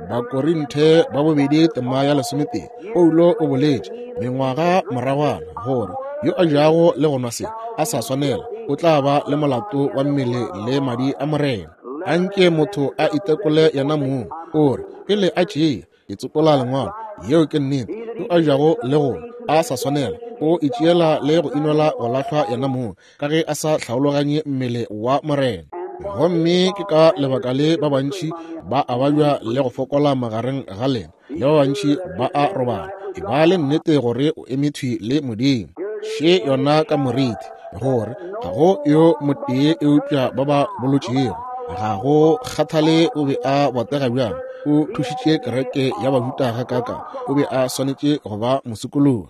Bakorinthe ba bobedi, tema ya 12, Paulo o boletše mengwaga moragwana gore yo a jago le go nwa se a sa swanela o tla ba le molato wa mmele le madi a Morena. Anke motho a itekole yena mong, o re pele a tšea ke tsopola lengwalo, yeo ke nnete, yo a jago le go a sa swanela o itšeela le go inola go lahlwa yena mong, ka ge a sa hlaologanye mmele wa Morena. Gomme ke ka lebaka le ba bantši ba a babja le go fokola magareng ga lena, le ba bantši ba a robala. E ba le nnete gore o eme thwi le Modimo. Še yona ka moriti, gore ga go yo motee eupša ba ba bolotšego. Ga go kgathale o be a botega bjang, o thušitše kereke ya Bajuda gakaka, o be a swanetše go ba mosokologi.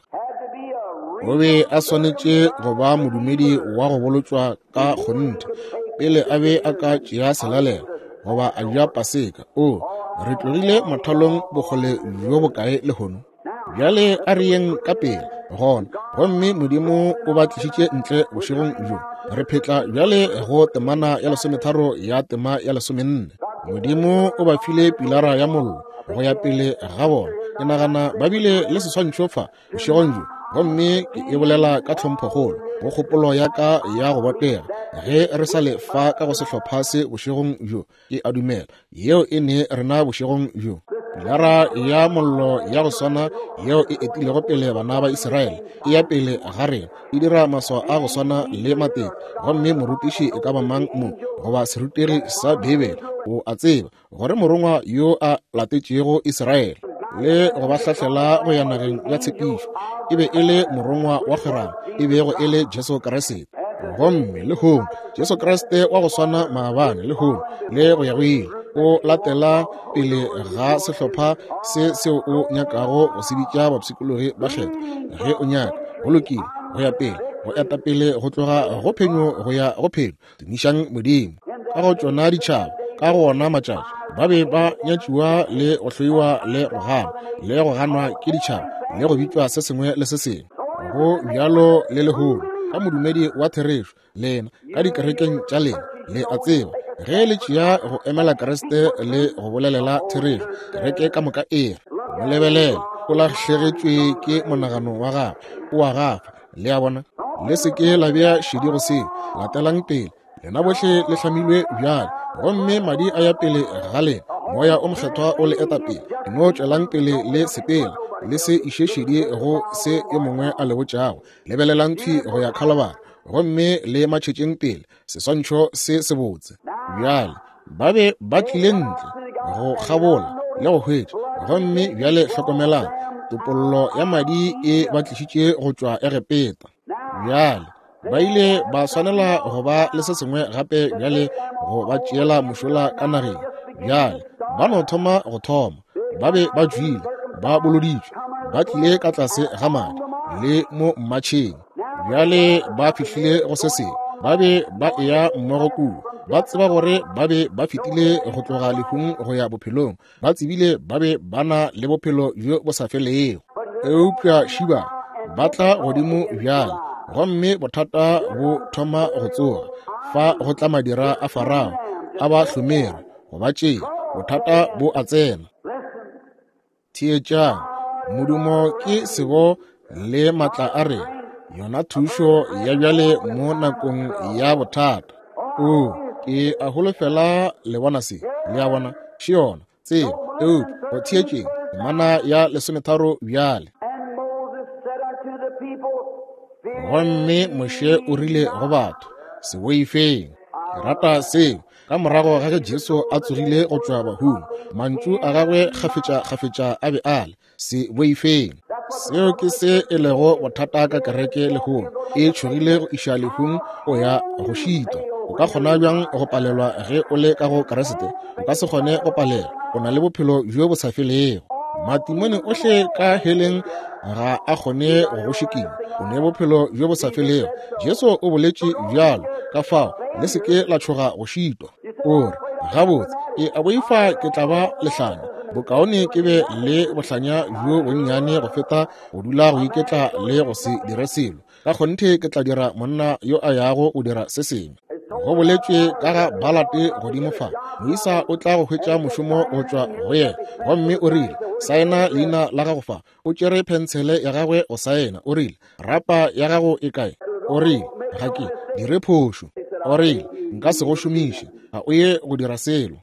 O be a swanetše go ba modumedi wa go bolotšwa ka kgonthe pele a be a ka tšea selalelo goba a ja Paseka. O re tlogile mathalong bokgole bjo bokae lehono? Bjale a re yeng ka pele gona. Gomme Modimo o ba tlišitše ntle bošegong bjo. Re phetla bjale go temana ya 13 ya tema ya 14. Modimo o ba file pilara ya mollo go ya pele ga bona. Ke nagana ba bile le seswantšho fa bošegong bjo, gomme ke e bolela ka tlhomphokgolo go kgopolo ya ka ya go botega. Ge re sa le fa ka go sehlopha se bošegong bjo, ke a dumela yeo e ne rena bošegong bjo. Pilara ya mollo ya go swana yeo e etilego pele bana ba Israele e ya pele ga rena, e dira maswao a go swana le matete. Gomme morutiši e ka ba mang mo goba serutegi sa Beibele o a tseba gore morongwa yo a latetšego Israele le go ba hlahlela go ya nageng ya tshepišo e be e le morongwa wa kgwerano, e bego e le Jesu Kriste. Gomme lehono Jesu Kriste wa go swana maabane, lehono le go ya go ile, o latela pele ga sehlopha se seo o nyakago go se bitša bapshikologi ba kgetho. Ge o nyaka, go lokile, go ya pele, go eta pele go tloga go phenyo go ya go phenyo. Tumišang Modimo. Ka go tšona ditšhaba, ka go ona matšatši, ba be ba nyatšiwa le go hloiwa le go ganwa, le go ganwa ke ditšhaba, le go bitšwa se sengwe le se sengwe. Go bjalo le lehono ka modumedi wa therešo, lena ka dikerekeng tša lena, le a tseba, ge le tšea go emela Kriste le go bolelela therešo, kereke ka moka e re, mo lebelele, o lahlegetšwe ke monagano wa gagwe, o a gafa. Le a bona? Le se ke la bea šedi go seo. Latelang pele. Lena bohle le hlamilwe bjale, gomme madi a ya pele ga lena. Moya o Mokgethwa o le eta pele. No tšwelang pele le sepela. Le se iše šedi go se yo mongwe a le botšago. Lebelelang thwi go ya Khalabara, gomme le matšhetšeng pele. Seswantšho se sebotse. Bjale ba be ba tlile ntle go kgabola le go hwetša. Gomme bjale hlokomelang, topollo ya madi e ba tlišitše go tšwa Egepeta. Bjale ba ile ba swanela go ba le se sengwe gape bjale go ba tšeela mošola ka nageng. Bjale ba no thoma go thoma, ba be ba tšwile, ba boloditšwe, ba tlile ka tlase ga madi le mo mmatšheng. Bjale ba fihlile go se sengwe, ba be ba eya mmogo kua, ba tseba gore ba be ba fetile go tloga lehung go ya bophelong, ba tsebile ba be ba na le bophelo bjo bo sa felego. Eupša šiba ba tla godimo bjale, gomme bothata bo thoma go tsoga. Fa go tla madira a Farao a ba hlomere go ba tšea, bothata bo a tsena. Theetšang, modumo ke sebo le matla a rena, yona thušo ya bjale mo nakong ya bothata. O, ke a holofela le bona se, le a bona, še yona tsela. Eupša go theetšeng temana ya 13 bjale. Gomme Moshe o rile go batho, se boifeng. Ke rata seo. Ka morago ga ge Jesu a tsogile go tšwa bahung, mantšu a gagwe kgafetša-kgafetša a be a le, se boifeng. Seo ke se e lego bothata ka kereke lehono, e tšhogile go iša lehung go ya go šitwa. O ka kgona bjang go palelwa ge o le ka go Kriste? O ka se kgone go palelwa. O na le bophelo bjo bo sa felego. Matimone ohle ka heleng ga a kgone go go šikinya. O ne bophelo bjo bo sa felego. Jesu o boletše bjalo. Ka fao, le se ke la tšhoga go šitwa. O re, Gabotse, ke a boifa ke tla ba lehlanya. Bokaone ke be le bohlanya bjo bonnyane go feta go dula go iketla le go se dire selo. Ka kgonthe ke tla dira monna yo a yago go dira se sengwe. Go boletšwe ka ga Balate godimo fa. Moisa o tla go hwetša mošomo go tšwa go yena. Gomme o rile, Saena leina la gago fa. O tšere phentshele ya gagwe go saena. O rile, Rapa ya gago e kae? O rile, Ga ke dire phošo. O rile, Nka se go šomiše. Ga o ye go dira selo.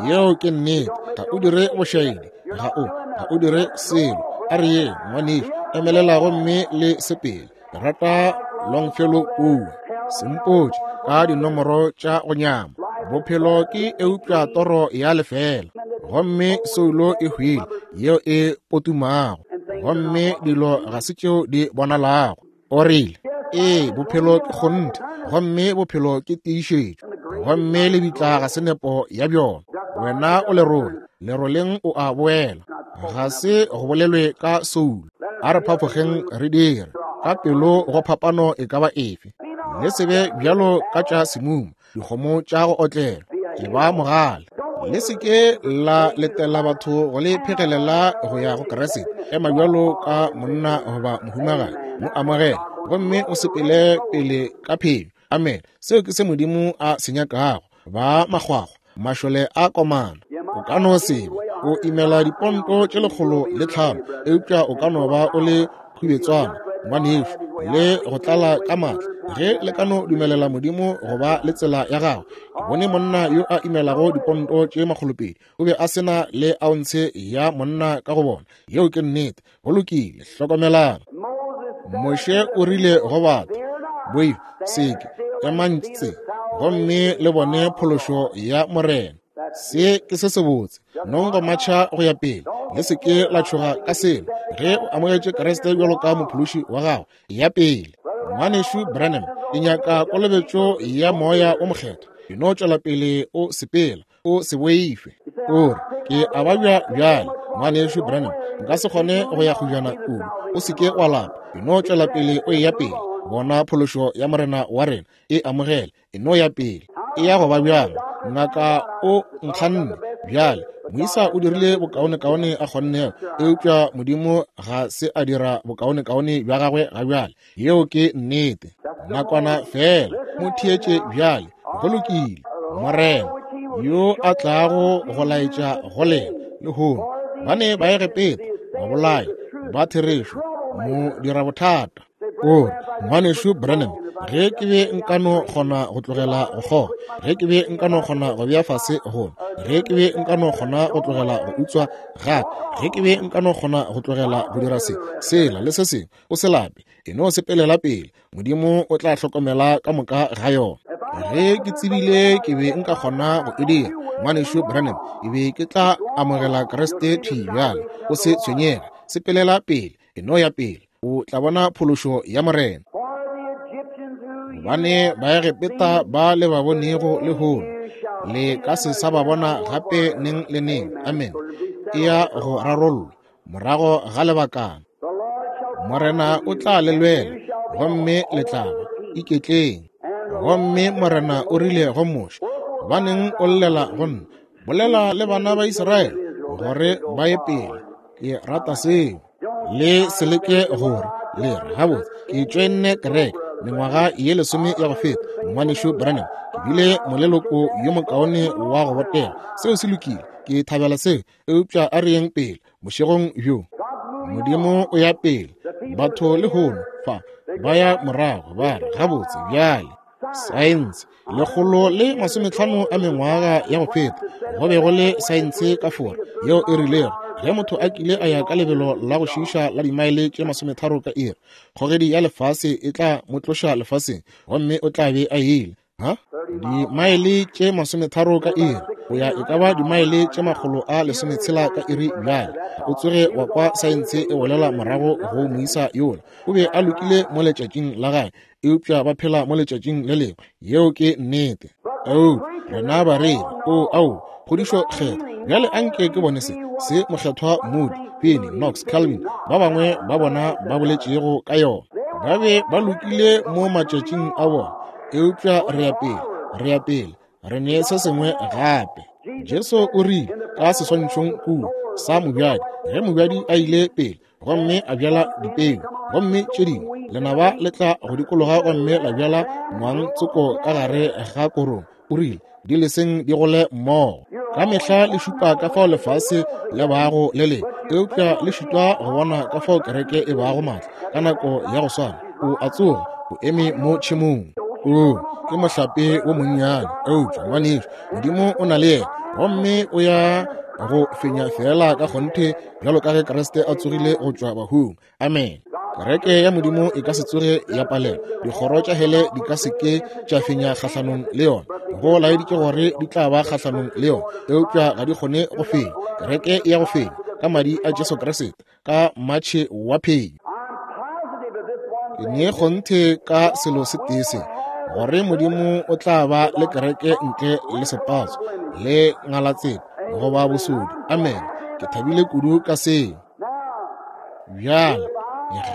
Yeo ke nnete. Ga o dire bošaedi. Ga o, ga o dire selo. A re ye, ngwanešu, emelela gomme le sepele. Ke rata Longfellow kua. Sempotše ka dinomoro tša go nyama. Bophelo ke eupša toro ya lefela. Gomme soulo e hwile, yeo e potumago. Gomme dilo ga se tšeo di bonalago. O rile, Ee, bophelo ke kgonthe, gomme bophelo ke tiišetšo, gomme lebitla ga se nepo ya bjona. Wena o lerole, leroleng o a boela. Ga se go bolelwe ka soulo. A re phafogeng re dire ka pelo go phapano e ka ba efe. Le se be bjalo ka tša semuma, dikgomo tša go otlela, e ba mogale. Le se ke la letela batho go le phegelela go ya go Kriste. Ema bjalo ka monna goba mohumagadi, mo amogele gomme o sepele pele ka phenyo. Amen. Seo ke se Modimo a se nyakago. Ba makgwakgwa, mašole a komana. O ka no se be o imela diponto tše 105, eupša o ka no ba o le khubetswana, ngwanešu, le go tlala ka maatla, ge le ka no dumelela Modimo go ba le tsela ya gagwe. Ke bone monna yo a imelago diponto tše 200, o be a se na le aontshe ya monna ka go bona. Yeo ke nnete. Go lokile, hlokomelang. Moshe o rile go batho, Boifa, seke, emang tse, gomme le bone phološo ya Morena. Se ke se sebotse. Nong go matšha go ya pele. Le se ke la tšhoga ka selo. Ge o amogetše Kriste bjalo ka mophološi wa gago, ya pele. Ngwanešu Branham, ke nyaka kolobetšo ya Moya wo Mokgethwa. E no tšwela pele o sepela, o se boife. O re, Ke a babja bjale, Ngwanešu Branham, nka se kgone go ya kgojana kudu. O se ke wa lapa. E no tšwela pele o eya pele. Bona phološo ya Morena wa rena. E amogele. E no ya pele. E ya go ba bjang? Ngaka o nkganne. Bjale, moisa o dirile bokaonekaone a kgonnego, eupša Modimo ga se a dira bokaonekaone bja gagwe ga bjale. Yeo ke nnete. Nakwana feela, mo theetše bjale. Go lokile. Morena yo a tlago go laetša go lena lehono, ba ne Baegepeta, babolai ba therešo, mo dira bothata. O re, Ngwanešu Branham, ge ke be nka no kgona go tlogela go kgoga, ge ke be nka no kgona go bea fase go nwa, ge ke be nka no kgona go tlogela go utswa gape, ge ke be nka no kgona go tlogela go dira se, sela le se sengwe, o se lape, e no sepelela pele. Modimo o tla hlokomela ka moka ga yona. Ge ke tsebile ke be nka kgona go e dira, Ngwanešu Branham, ke be ke tla amogela Kriste thwi bjale. O se tshwenyege, sepelela pele, e no ya pele. O tla bona phološo ya Morena. Gobane Baegepeta ba le ba bonego lehono, le ka se sa ba bona gape neng le neng. Amen. E ya go rarollwa morago ga lebakana. Morena o tla le lwela, gomme le tla ba iketleng. Gomme Morena o rile go Moshe, Gobaneng o llela go nna? Bolela le bana ba Israele gore ba ye pele. Ke rata seo. Le se leke gore le re, Gabotse, ke tšoenne kereke mengwaga ye 10 ya go feta, Ngwanešu Branham. Ke bile moleloko yo mokaone wa go botega. Seo se lokile. Ke thabela seo. Eupša a re yeng pele bošegong bjo. Modimo o ya pele. Batho lehono fa ba ya morago ba re, Gabotse, bjale, saense, 150 a mengwaga ya go feta, go be go le saense ka Fora yeo e rilego ge motho a kile a ya ka lebelo la go šiiša la dimaele tše 30 ka iri, kgogedi ya lefase e tla mo tloša lefaseng gomme o tla be a ile. Ha? Dimaele tše 30 ka iri. O ya e ka ba dimaele tše 160 ka iri bjale. O tsoge wa kwa saense e bolela morago go moisa yola. O be a lokile mo letšatšing la gagwe, eupša ba phela mo letšatšing le lengwe. Yeo ke nnete. Eupša rena bareri, o, ao, kgodišo kgethwa. Bjale anke ke bone se, se Mokgethwa Moody, Finney, Knox, Calvin, ba bangwe ba bona ba boletšego ka yona. Ba be ba lokile mo matšatšing a bona, eupša re ya pele, re ya pele, re ne se sengwe gape. Jesu o rile ka seswantšhong kua sa mobjadi, ge mobjadi a ile pele gomme a bjala dipeu, gomme tše dingwe lenaba le tla go dikologa gomme la bjala ngwang tsoko ka gare ga korong, o rile di leseng di gole mmogo. Ka mehla le šupa ka fao lefase le bago le lengwe, eupša le šitwa go bona ka fao kereke e bago maatla ka nako ya go swana. O a tsoga, o eme mo tšhemong. O ke mohlape wo monnyane, eupša ngwanešu, Modimo o na le yena, gomme o ya go fenya feela ka kgonthe bjalo ka ge Kriste a tsogile go tšwa bahung. Amen. Kereke ya Modimo e ka se tsoge ya palelwa. Dikgoro tša hele di ka se ke tša fenya kgahlanong le yona. Go laeditše gore di tla ba kgahlanong le yona, eupša ga di kgone go fenya. Kereke e ya go fenya ka madi a Jesu Kriste, ka matšhe wa phenyo. Ke ne kgonthe ka selo se tee se, gore Modimo o tla ba le kereke ntle le sepatso le ngalatsela goba bosodi. Amen. Ke thabile kudu ka seo. Bjale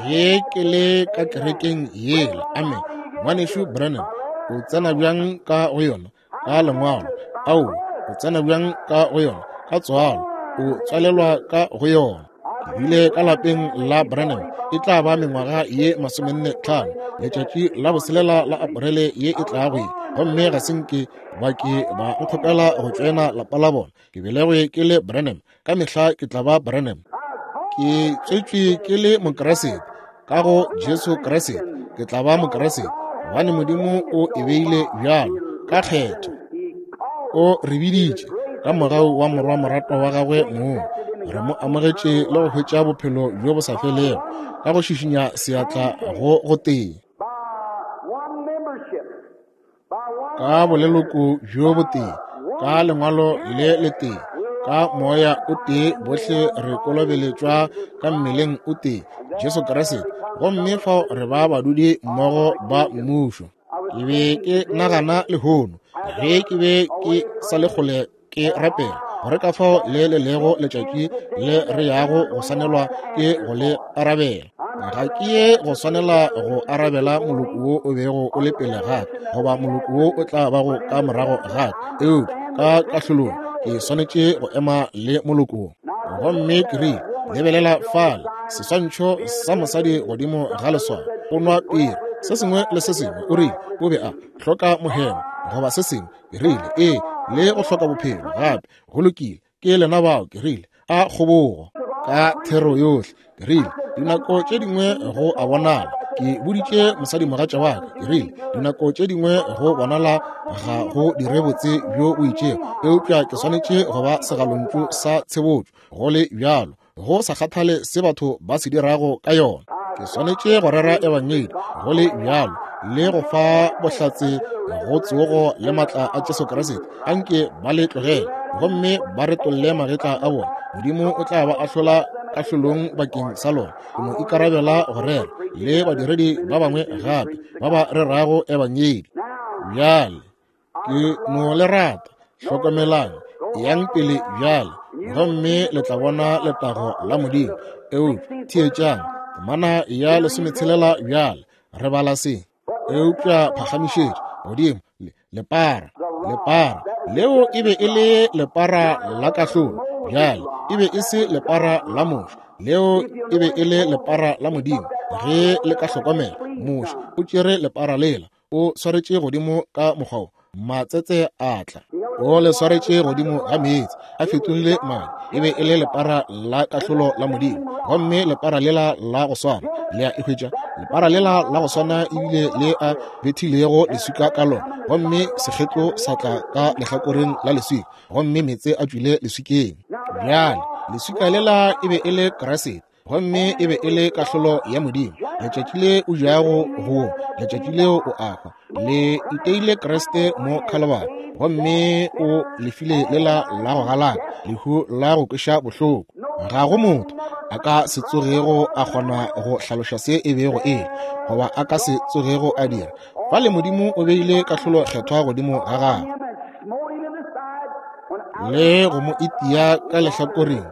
ge ke le ka kerekeng yela, amen, Ngwanešu Branham, o tsena bjang ka go yona? Ka lengwalo. Ao, o tsena bjang ka go yona? Ka tswalo. O tswalelwa ka go yona. Ke bile ka lapeng la Branham e tla ba mengwaga ye 45, letšatši la boselela la Aprele ye e tlago ye, gomme ga se nke ba ke ba nkgopela go tšoena lapa la bona. Ke belegwe ke le Branham, ka mehla ke tla ba Branham. Ke tswetšwe ke le Mokriste ka go Jesu Kriste, ke tla ba Mokriste gobane Modimo o e beile bjalo ka kgetho. O re biditše ka mogau wa morwa moratwa wa gagwe mong, re mo amogetše le go hwetša bophelo bjo bo sa felego ka go šišinya seatla go gotee, ka boleloko bjo botee, ka lengwalo le letee, ka moya o tee, bohle re kolobeletšwa ka mmeleng o tee, Jesu Kriste, gomme fao re ba badudi mmogo ba mmušo. Ke be ke nagana lehono ge ke be ke sa le kgole ke rapela gore ka fao le le lego letšatši le re yago go swanelwa ke go le arabela. Ga ke ye go swanela go arabela moloko wo o bego o le pele ga ka goba moloko wo o tla bago ka morago ga ka, eupša ka kahlolong ke swanetše go ema le moloko wo. Gomme ke rile, lebelela fale, seswantšho sa mosadi godimo ga leswao, o nwa piri, se sengwe le se sengwe. O rile o be a hloka mohemo goba se sengwe. Ke rile, ee, le go hloka bophelo gape. Go lokile, ke lena bao. Ke rile, a kgobogo ka thero yohle. Ke rile, dinako tše dingwe go a bonala. Ke boditše mosadimogatša wa ka, ke rile, dinako tše dingwe go bonala ga go dire botse bjo bo itšego, eupša ke swanetše go ba segalontšu sa tshebotšo go le bjalo, go sa kgathale se batho ba se dirago ka yona. Ke swanetše go rera ebangedi go le bjalo le go fa bohlatse go tsogo le matla a Jesu Kriste. Anke ba le tlogele gomme ba retolle magetla a bona. Modimo o tla ba ahlola kahlolong bakeng sa lona. Ke no ikarabela go rera le badiredi ba bangwe gape ba ba rerago ebangedi. Bjale ke no le rata. Hlokomelang, yang pele bjale, gomme le tla bona letago la Modimo. Eupša theetšang temana ya 16 bjale, re bala se. Eupša phagamišetša godimo lepara, lepara leo e be e le lepara la kahlolo. Bjale e be e se lepara la Moshe, leo e be e le lepara la Modimo. Ge le ka hlokomela, Moshe o tšere lepara lela, o swaretše godimo ka mokgwa wo, matsetse a tla. O le swaretše godimo ga meetse, a fetogile madi. E be e le lepara la kahlolo la Modimo. Gomme lepara lela la go swana, le a e hwetša, lepara lela la go swana ebile le a bethilego leswika ka lona, gomme sekgetlo sa tla ka lehlakoreng la leswika, gomme meetse a tšwile leswikeng. Bjale, leswika lela e be e le Kriste. Gomme e be e le kahlolo ya Modimo. Letšatši le o jago go, letšatši leo o a hwa. Le iteile Kriste mo Khalibari, gomme o lefile lela la go galaka, lehu la go kweša bohloko. Ga go motho a ka se tsogego a kgona go hlaloša se e bego e le, goba a ka se tsogego a dira. Fale Modimo o beile kahlolo kgethwa godimo ga gagwe le go mo itia ka lehlakoreng,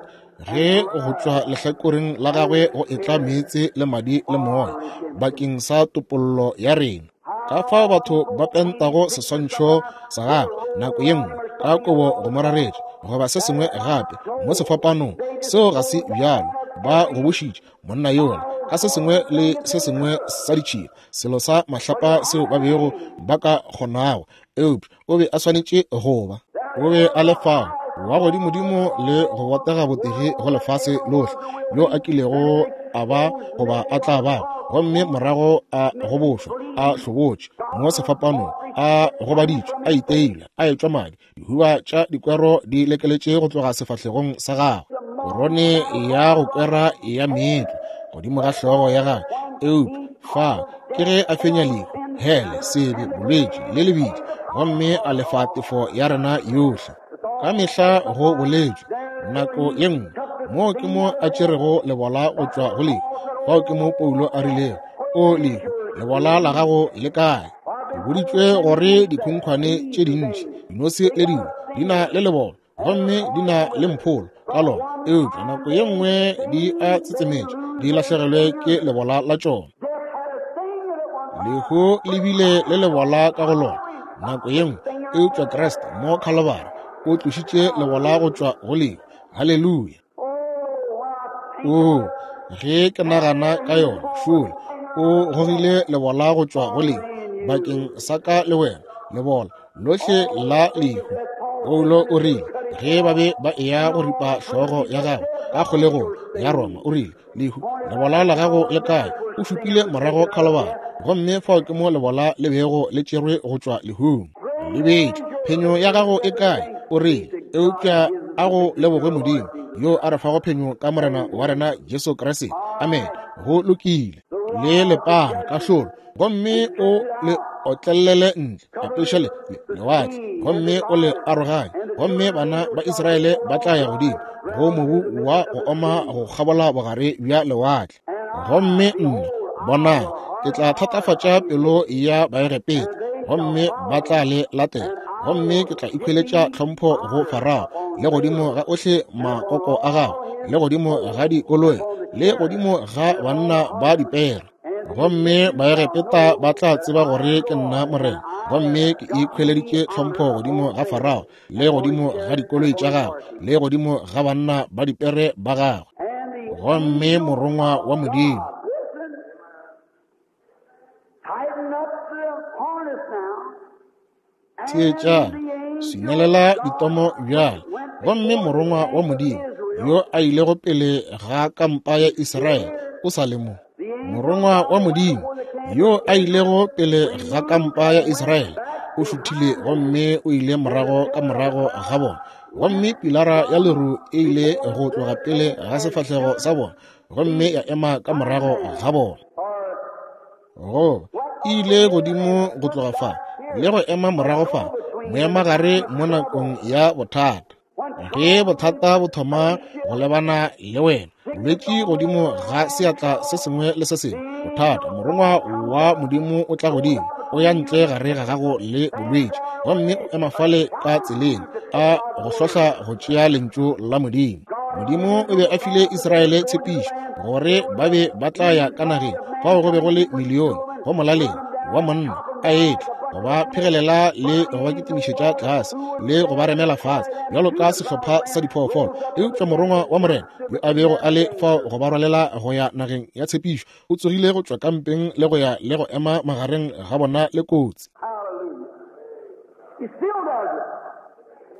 ge go tšwa lehlakoreng la gagwe go etla meetse le madi le moya bakeng sa topollo ya rena. Ka fao batho ba pentago seswantšho sa gagwe nako ye nngwe ka kobo go mo raretša goba se sengwe gape mo sefapanong, seo ga se bjalo. Ba gobošitše monna yola ka se sengwe le se sengwe sa ditšhila, selo sa mahlapa seo ba bego ba ka kgonago, eupša o be a swanetše go ba. O be a le fao wa godimodimo le go botega botege go lefase lohle yo a kilego a ba goba a tla ba, gomme morago a gobošwa, a hlobotše mo sefapanong, a gobaditšwe, a iteilwe, a etšwa madi, dihuba tša dikwero di lekeletše go tloga sefahlegong sa gagwe, korone ya go kwera ya meetlo godimo ga hlogo ya gagwe. Eupša fa ke ge a fenya lehu, hele, sebe, bolwetši le lebitla, gomme a lefa tefo ya rena yohle. Ka mehla go boletšwe nako ye nngwe, moo ke mo a tšerego lebola go tšwa go lehu. Fao ke mo Paulo a rilego, O lehu, lebola la gago le kae? Ke boditšwe gore dikhunkhwane tše dintši, dinose le dingwe, di na le lebolo gomme di na le mpholo ka lona, eupša nako ye nngwe di a tsetsemetša, di lahlegelwe ke lebola la tšona. Lehu le bile le lebola ka go lona nako ye nngwe, eupša Kriste mo Khalibari o tlošitše lebola go tšwa go lehu. Haleluya! Oo, ge ke nagana ka yona, šole o gogile lebola go tšwa go lehu bakeng sa ka le wena, lebola lohle la lehu. Paulo o rile ge ba be ba eya go ripa hlogo ya gagwe ka kgolegong ya Roma, o rile, Lehu, lebola la gago le kae? O šupile morago Khalibari, gomme fao ke mo lebola le bego le tšerwe go tšwa lehung. Lebetšwe, phenyo ya gago e kae? O rile, eupša a go lebogwe Modimo, yo a re fago phenyo ka Morena wa rena Jesu Kriste. Amen. Go lokile. Le lepara kahlolo, gomme o le otlelele ntle, apeša le lewatle, gomme o le aroganye, gomme bana ba Israele ba tla ya godimo go mobu wa go oma go kgabola bogare bja lewatle. Gomme nna, bonang, ke tla thatafatša pelo ya Baegepeta, gomme ba tla le latela, gomme ke tla ikhweletša tlhompho go Farao, le godimo ga ohle makoko a gagwe, le godimo ga dikoloi, le godimo ga banna ba dipere. Gomme Baegepeta ba tla tseba gore ke nna Morena, gomme ke ikhweleditše tlhompho godimo ga Farao, le godimo ga dikoloi tša gagwe, le godimo ga banna ba dipere ba gagwe. Gomme morongwa wa Modimo. Theetšang, swinelela ditomo bjale. Gomme morongwa wa Modimo yo a ilego pele ga kampa ya Israele o sa le mo. Morongwa wa Modimo yo a ilego pele ga kampa ya Israele o šuthile gomme o ile morago ka morago ga bona, gomme pilara ya leru e ile go tloga pele ga sefahlego sa bona gomme ya ema ka morago ga bona. Go e ile godimo go tloga fa le go ema morago fa, moemagare mo nakong ya bothata. Ge bothata bo thoma go lebana le wena, bolwetši godimo ga seatla se sengwe le se sengwe, bothata, morongwa wa Modimo o tla godimo, o ya ntle gare ga gago le bolwetši, gomme o ema fale ka tseleng a go hlohla go tšea lentšu la Modimo. Modimo o be a file Israele tshepišo gore ba be ba tla ya ka nageng fao go be go le milione go molaleng wa monna a etla go ba phegelela le go ba kitimišetša tlase le go ba remela fase bjalo ka sehlopha sa diphoofolo. Eupša morongwa wa Morena yo a bego a le fao go ba rwalela go ya nageng ya tshepišo o tsogile go tšwa kampeng le go ya le go ema magareng ga bona le kotsi.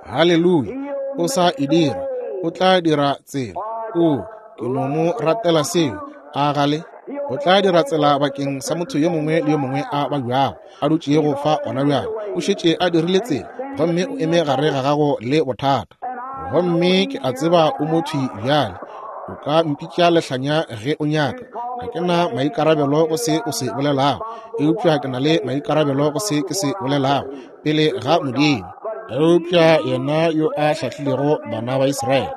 Haleluya! O sa e dira, o tla dira tsela. O, ke no mo ratela seo. A gale? O tla dira tsela bakeng sa motho yo mongwe le yo mongwe a babjago, a dutšego fa gona bjale. O šetše a dirile tsela, gomme o eme gare ga gago le bothata. Gomme ke a tseba o mothwi bjale. O ka mpitša lehlanya ge o nyaka. Ga ke na maikarabelo go se o se bolelago, eupša ke na le maikarabelo go se ke se bolelago pele ga Modimo. Eupša yena yo a hlahlilego bana ba Israele,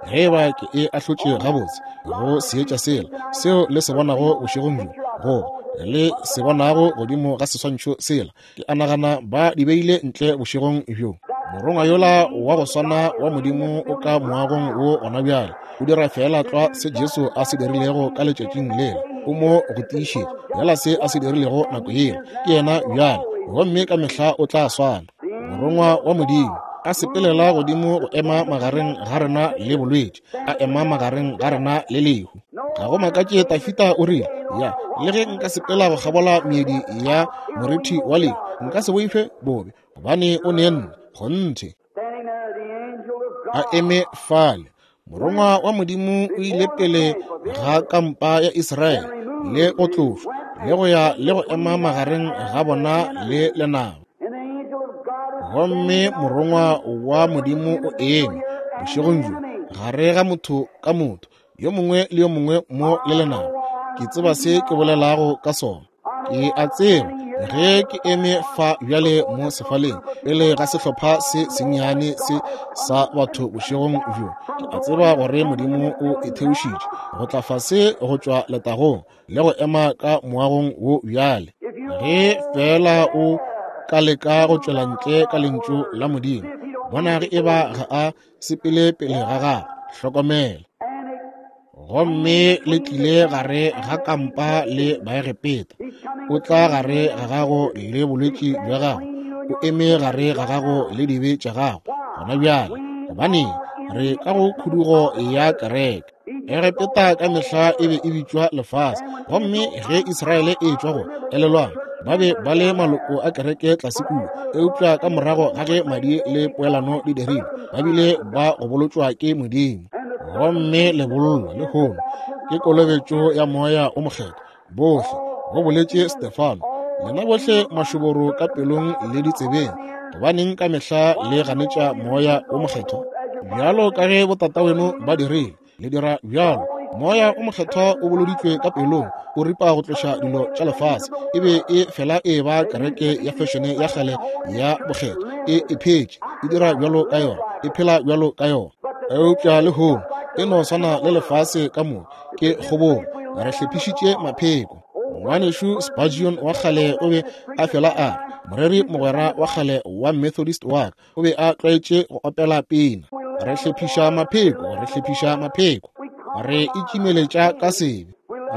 ge eba ke e ahlotše gabotse go seetša sela seo le se bonago bošegong bjo, goba le se bonago godimo ga seswantšho sela, ke a nagana ba di beile ntle bošegong bjo. Morongwa yola wa go swana wa Modimo o ka moagong wo gona bjale, o dira feela tlwa se Jesu a se dirilego ka letšatšing lela. O mo go tiišetša yela se a se dirilego nako yela. Ke yena bjale, gomme ka mehla o tla swana. Morongwa wa Modimo a sepelela godimo go ema magareng ga rena le bolwetši, a ema magareng ga rena le lehu. Ga go makatše Tafita o rile, ya, le ge nka sepela go kgabola meedi ya morithi wa lehu, nka se boife bobe, gobane o ne nna. Kgonthe. A eme fale, morongwa wa Modimo o ile pele ga kampa ya Israele le go tlošwa le go ya le go ema magareng ga bona le lenaba. Gomme morongwa wa Modimo o eme bošegong bjo gare ga motho ka motho, yo mongwe le yo mongwe mo le lenaba. Ke tseba se ke bolelago ka sona. Ke a tseba ge ke eme fa bjale mo sefaleng pele ga sehlopha se sennyane se sa batho bošegong bjo, ke a tseba gore Modimo o itheošitše go tla fase go tšwa letagong le go ema ka moagong wo bjale. Ge feela o ka leka go tšwela ntle ka lentšu la Modimo, bona ge eba ga a sepele pele ga gago. Hlokomela. Gomme le tlile gare ga kampa le Baegepeta. O tla gare ga gago le bolwetši bja gago. O eme gare ga gago le dibe tša gago gona bjale. Gobaneng, re ka go khudugo ya kereke. Egepeta ka mehla e be e bitšwa lefase. Gomme ge Israele e tšwa go, elelwang, ba be ba le maloko a kereke tlase kua, eupša ka morago ga ge madi le poelano di dirilwe, ba bile ba go bolotšwa ke Modimo. Gomme lebollo lehono ke kolobetšo ya Moya o Mokgethwa. Bohle, go boletše Stefano, lena bohle mašoboro ka pelong le ditsebeng, gobaneng ka mehla le ganetša Moya o Mokgethwa? Bjalo ka ge botataweno ba dirile, le dira bjalo. Moya o Mokgethwa o boloditšwe ka pelong, o ripa go tloša dilo tša lefase. E be e fela e ba kereke ya fešene ya kgale ya bokgethwa, e e phetše, e dira bjalo ka yona, e phela bjalo ka yona. Eupša lehono e no swana le lefase ka moka, ke kgobogo, re hlephišitše mapheko. Ngwanešu Spurgeon wa kgale o be a fela a re, moreri mogwera wa kgale wa Methodist wa ka o be a tlwaetše go opela pina, re hlephiša mapheko, re hlephiša mapheko, re itšimeletša ka sebe,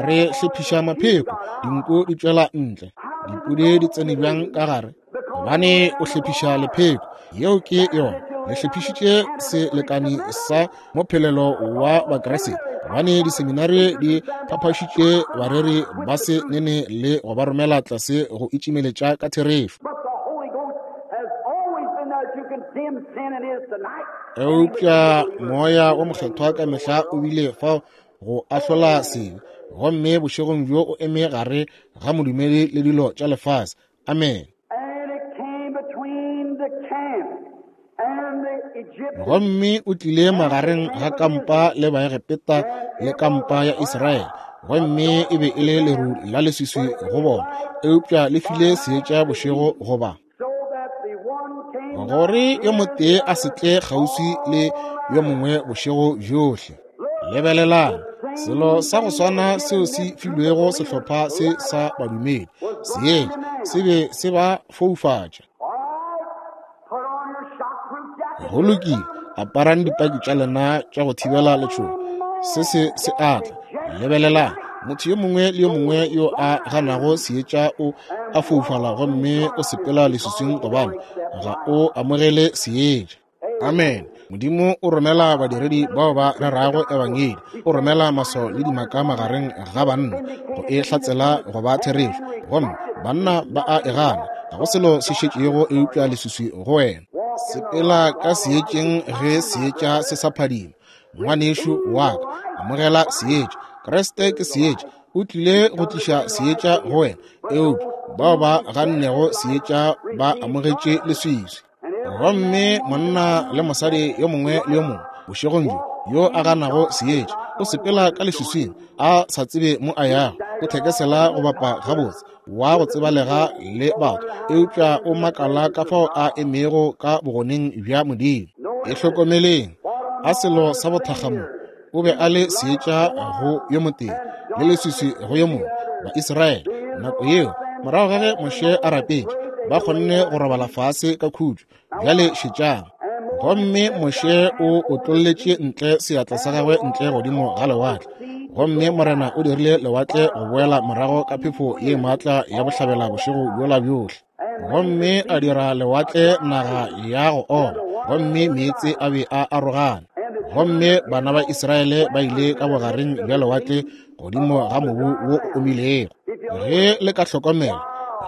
re hlephiša mapheko, dinku di tšwela ntle, dipudi di tsene bjang ka gare, gobane o hlephiša lepheko. Yeo ke yona. Le hlephišitše selekani sa mophelelo wa Bakriste, gobane diseminari di phaphašitše bareri ba se nene le go ba romela tlase go itšimeletša ka therešo. Eupša Moya wo Mokgethwa ka mehla o bile fao go ahlola sebe, gomme bošegong bjo o eme gare ga modumedi le dilo tša lefase. Amen. Gomme o tlile magareng ga kampa le Baegepeta le kampa ya Israele, gomme e be e le leru la leswiswi go bona, eupša le file seetša bošego go ba, gore yo motee a se tle kgauswi le yo mongwe bošego bjohle. Lebelelang, selo sa go swana seo se filwego sehlopha se sa badumedi, seetša se be se ba foufatša. Go lokile, aparang dipaki tša lena tša go thibela letšhogo. Se se se a tla. Lebelelang, motho yo mongwe le yo mongwe yo a ganago seetša o a foufala gomme o sepela leswiswing gobane ga o amogele seetša. Amen. Modimo o romela badiredi bao ba rerago ebangedi, o romela maswao le dimaka magareng ga banna go e hlatsela go ba therešo, gomme banna ba a e gana. Ga go selo se šetšego eupša leswiswi go wena. Sepela ka seetšeng ge seetša se sa phadima. Ngwanešu wa ka, amogela seetša. Kriste ke seetša, o tlile go tliša seetša go wena, eupša bao ba gannego seetša ba amogetše leswiswi. Gomme monna le mosadi yo mongwe le yo mongwe bošegong bjo Yo a ganago seetša o sepela ka leswiswing, a sa tsebe mo a yago. O thekesela go bapa gabotse, wa go tsebalega le batho, eupša o makala ka fao a emego ka bogoneng bja Modimo. E hlokomeleng, a selo sa bothakga mo. O be a le seetša go yo motee le leswiswi go yo mongwe. Ba-Israele nako yeo, morago ga ge Moshe a rapetše, ba kgonne go robala fase ka khutšo. Bjale šetšang. Gomme Moshe o otlolletše ntle seatla sa gagwe ntle godimo ga lewatle, gomme Morena o dirile lewatle go boela morago ka phefo ye maatla ya bohlabela bošego bjola bjohle, gomme a dira lewatle naga ya go oma, gomme meetse a be a arogana. Gomme bana ba Israele ba ile ka bogareng bja lewatle godimo ga mobu wo o omilego. Ge le ka hlokomela,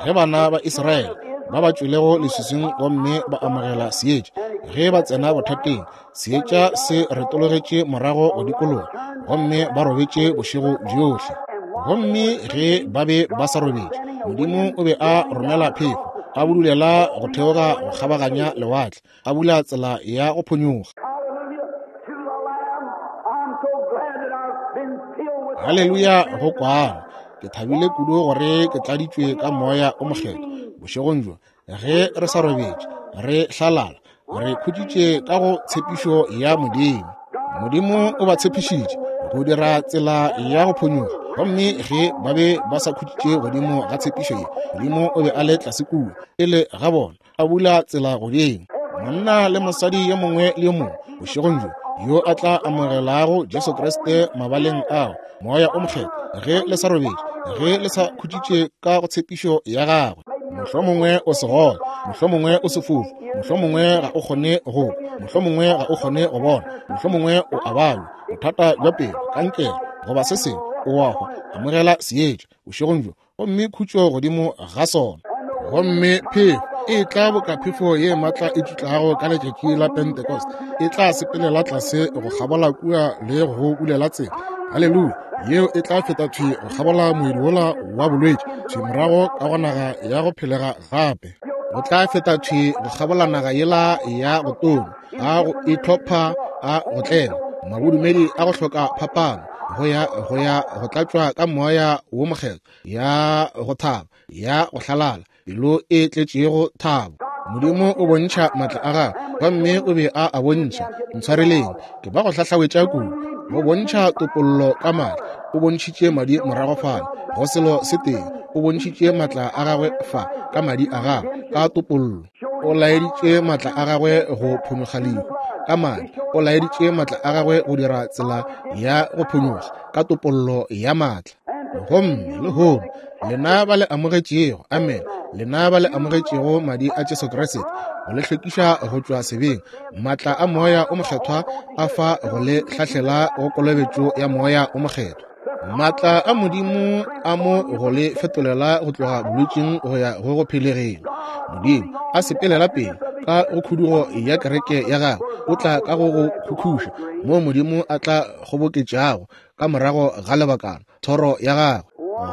ge bana ba Israele ba ba tšwelego leswiswing gomme ba amogela seetša, ge ba tsena bothateng, seetša se retologetše morago go dikologa, gomme ba robetše bošego bjohle. Gomme ge ba be ba sa robetše, Modimo o be a romela phefo, a budulela go theoga go kgabaganya lewatle, a bula tsela ya go phonyokga. Haleluya go kwana. Ke thabile kudu gore ke tladitšwe ka Moya o Mokgethwa bošegong bjo. Ge re sa robetše, re hlalala, re khutšitše ka go tshepišo ya Modimo. Modimo o ba tshepišitše go dira tsela ya go phonyokga, gomme ge ba be ba sa khutšitše godimo ga tshepišo ye, Modimo o be a le tlase kua pele ga bona, a bula tsela godimo. Monna le mosadi yo mongwe le yo mongwe bošegong bjo yo a tla amogelago Jesu Kriste mabaleng ao, Moya o Mokgethwa, ge le sa robetše, ge le sa khutšitše ka go tshepišo ya gagwe, mohlomongwe o segole, mohlomongwe o sefofu, mohlomongwe ga o kgone go kwa, mohlomongwe ga o kgone go bona, mohlomongwe o a babja, bothata bja pelo, kankere, goba se sengwe, o a hwa, amogela seetša bošegong bjo, gomme khutšo godimo ga sona. Gomme phefo e tla boka phefo ye maatla e tšutlago ka letšatši la Pentecost, e tla sepelela tlase go kgabola kua le go bulela tsela. Haleluya! Yeo e tla feta thwi go kgabola moedi wola wa bolwetši, thwi morago ka go naga ya go phelega gape. O tla feta thwi go kgabola naga yela ya go tonya, a go itlhopha, a go tlela mabodumedi a go hloka phapano, go ya go ya go tlatšwa ka Moya wo Mokgethwa, ya go thaba, ya go hlalala, pelo e tletšego thabo. Modimo o bontšha maatla a gagwe, gomme o be a a bontšha. Ntshwareleng, ke ba go hlahlawetša kudu. Go bontšha topollo ka maatla, o bontšhitše madi morago fale go selo se tee. O bontšhitše maatla a gagwe fa ka madi a gagwe, ka topollo. O laeditše maatla a gagwe go phonyokga lehu ka madi. O laeditše maatla a gagwe go dira tsela ya go phonyokga ka topollo ya maatla. Gomme lehono lena ba le amogetšego, amen, lena ba le amogetšego madi a Jesu Kriste go le hlwekiša go tšwa sebeng, maatla a Moya o Mokgethwa a fa go le hlahlela go kolobetšo ya Moya o Mokgethwa. Maatla a Modimo a mo go le fetolela go tloga bolwetšing go ya go go phelegeng. Modimo a sepelela pele ka go khudugo ya kereke ya gagwe, o tla ka go go khukhuša moo Modimo a tla kgoboketšago ka morago ga lebakana thoro ya gagwe.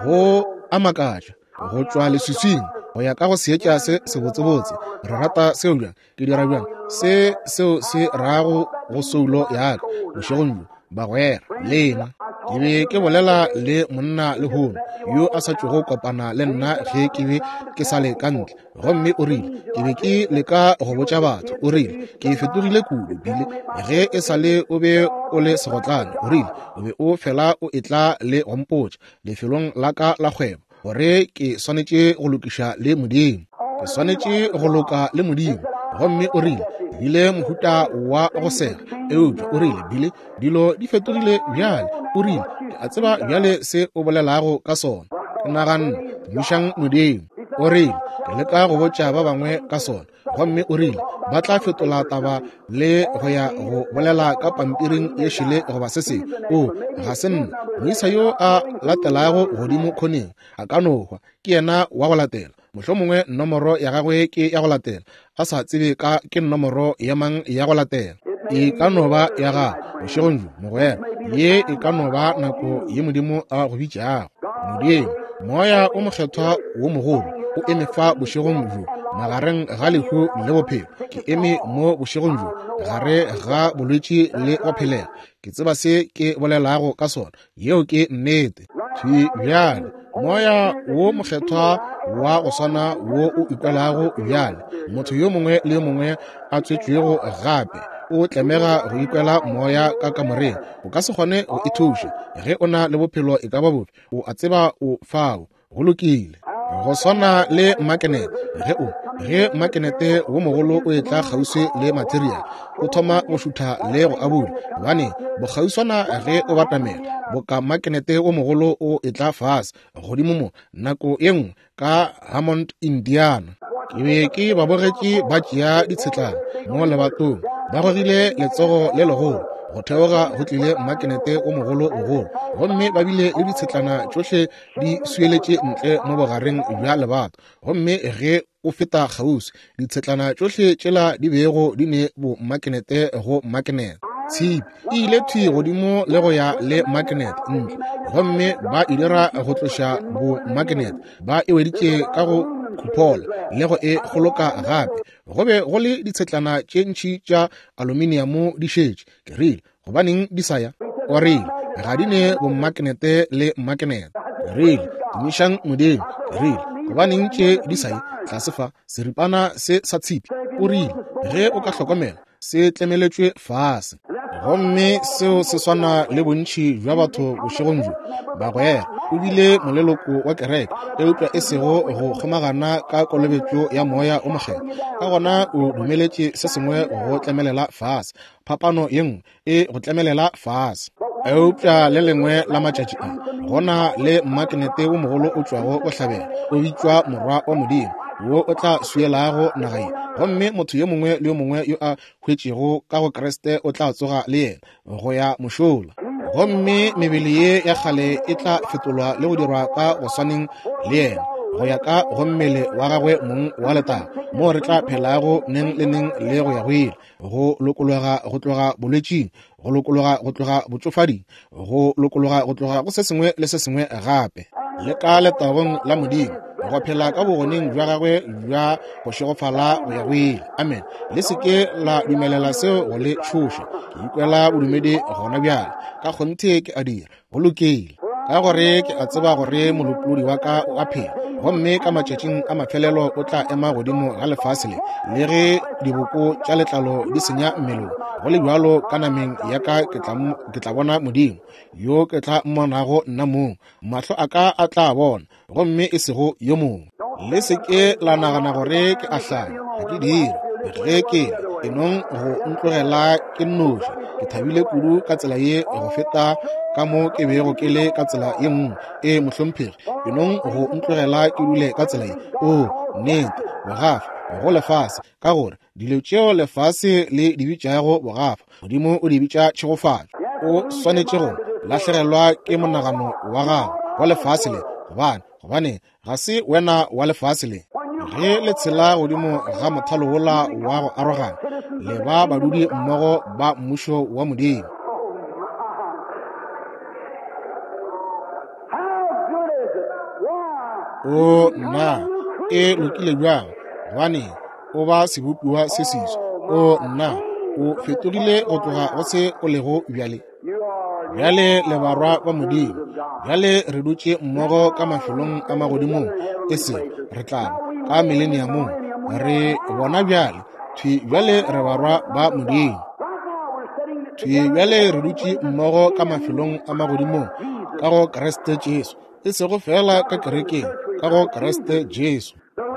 Go a makatša go tšwa leswiswing go ya ka go seetša se sebotsebotse. Re rata seo bjang? Ke dira bjang se seo se rago go soulo ya ka bošegong bjo, bagwera lena? Ke be ke bolela le monna lehono yo a sa tšogo kopana le nna ge ke be ke sa le ka ntle, gomme o rile ke be ke leka go botša batho, o rile ke fetogile kudu bile ge e sa le o be o le segotlane, o rile o be o fela o etla le go mpotša lefelong la ka la kgwebo gore ke swanetše go lokiša le Modimo, ke swanetše go loka le Modimo. Gomme o rile bile mohuta wa go sega, eupša o rile bile dilo di fetogile bjale. O rile ke a tseba bjale se o bolelago ka sona. Ke naganne, tumišang Modimo. O rile ke leka go botša ba bangwe ka sona, gomme o rile ba tla fetola taba le go ya go bolela ka pampiring ye šele goba se sengwe. O ga se nna moisa yo a latelago godimo khoneng, a ka no hwa, ke yena wa go latela. Mohlomongwe nomoro ya gagwe ke ya go latela, a sa tsebe ka ke nomoro ya mang ya go latela. E ka no ba ya gago bošegong bjo, mogwera. Ye e ka no ba nako ye Modimo a go bitšago. Modimo, Moya o Mokgethwa wo mogolo o eme fa bošegong bjo. magareng ga lehu le bophelo. Ke eme mo bošegong bjo gare ga bolwetši le go phelela. Ke tseba se ke bolelago ka sona. Yeo ke nnete. Thwi bjale, Moya wo Mokgethwa wa go swana wo o ikwelago bjale, motho yo mongwe le yo mongwe a tswetšwego gape o tlemega go ikwela moya ka kamoreng. O ka se kgone go ithuša ge o na le bophelo e ka ba bofe. O a tseba o fao. Go lokile. Go swana le makenete, ge o ge makenete wo mogolo o etla kgauswi le material, o thoma go šutha le go abula, gobane bokgauswana ge o batamela, boka makenete wo mogolo o etla fase godimo mo nako ye nngwe ka Hammond, Indiana. Ke be ke ba bogetše ba tšea ditshetlana mo lebatong, ba gogile letsogo le legolo go theoga, go tlile makenete o mogolo bogolo, gomme ba bile le ditshetlana tšohle di swieletše ntle mo bogareng bja lebato. Gomme ge o feta kgauswi, ditshetlana tšohle tšela di bego di ne bo makenete go makenete, tshipi e ile thwi godimo le go ya le makenete ntle, gomme ba e dira go tloša bo makenete, ba e weditše ka go khuphola le go e kgoloka gape. Go be go le ditshetlana tše ntši tša aluminiamo di šetše. Ke rile, gobaneng di sa ya? O rile, ga di ne bommakenete le mmakenete. Ke rile, tumišang Modimo. Ke rile, gobaneng tše di sa ye tlase fa, seripana se sa tshipi? O rile, ge o ka hlokomela, se tlemeletšwe fase. Gomme seo se swana le bontši bja batho bošegong bjo, bagwera. O bile moleloko wa kereke, eupša e sego go kgomagana ka kolobetšo ya Moya o Mokgethwa. Ka gona o dumeletše se sengwe go tlemelela fase, phapano ye nngwe e go tlemelela fase. Eupša le lengwe la matšatši a, go na le mmakenete wo mogolo o tšwago bohlabela, o bitšwa Morwa wa Modimo, wo o tla swielago naga ye. Gomme motho yo mongwe le yo mongwe yo a hwetšego ka go Kriste o tla tsoga le yena go ya mošola. Gomme mebele ye ya kgale e tla fetolwa le go dirwa ka go swaneng le yena, go ya ka go mmele wa gagwe mong wa letago, moo re tla phelago neng le neng le go ya go ile, go lokologa go tloga bolwetšing, go lokologa go tloga botšofading, go lokologa go tloga go se sengwe le se sengwe gape, le ka letagong la Modimo, go phela ka bogoneng bja gagwe bja go šegofala go ya go ile. Amen. Le se ke la dumelela seo go le tšhoša. Ke ikwela bodumedi gona bjale, ka kgonthe ke a dira. Go lokile, ka gore ke a tseba gore Molopolodi wa ka o a phela, gomme ka matšatšing a mafelelo o tla ema godimo ga lefase le. Le ge diboko tša letlalo di senya mmelong, go le bjalo ka nameng ya ka ke tla bona Modimo, yo ke tla mmonago nna mong. Mahlo a ka a tla bona, gomme e sego yo mongwe. Le se ke la nagana gore ke a hlanya, ga ke dire. Ge ke le, enong go ntlogela ke nnoši. Ke thabile kudu ka tsela ye go feta ka mo ke bego ke le ka tsela ye nngwe. Ee, mohlomphegi, enong go ntlogela ke dule ka tsela ye. Oo, nnete, bogafa go lefase, ka gore dilo tšeo lefase le di bitšago bogafa, Modimo o di bitša tšhegofatšo. O swanetše go lahlegelwa ke monagano wa gago wa lefase le, gobane gobane ga se wena wa lefase le. Ge le tshela godimo ga mothalo wola wa go arogana, le ba badudi mmogo ba mmušo wa Modimo. O nna, e lokile bjang, gobane o ba sebopiwa se seswa. O nna, o fetogile go tloga go se o lego bjale. Bjale le barwa ba Modimo. Bjale re dutše mmogo ka mafelong a magodimong, e sego re tla ba ka mileniamong. Re bona bjale, thwi bjale re barwa ba Modimo. Thwi bjale re dutše mmogo ka mafelong a magodimong ka go Kriste Jesu, e sego feela ka kerekeng, ka go Kriste Jesu.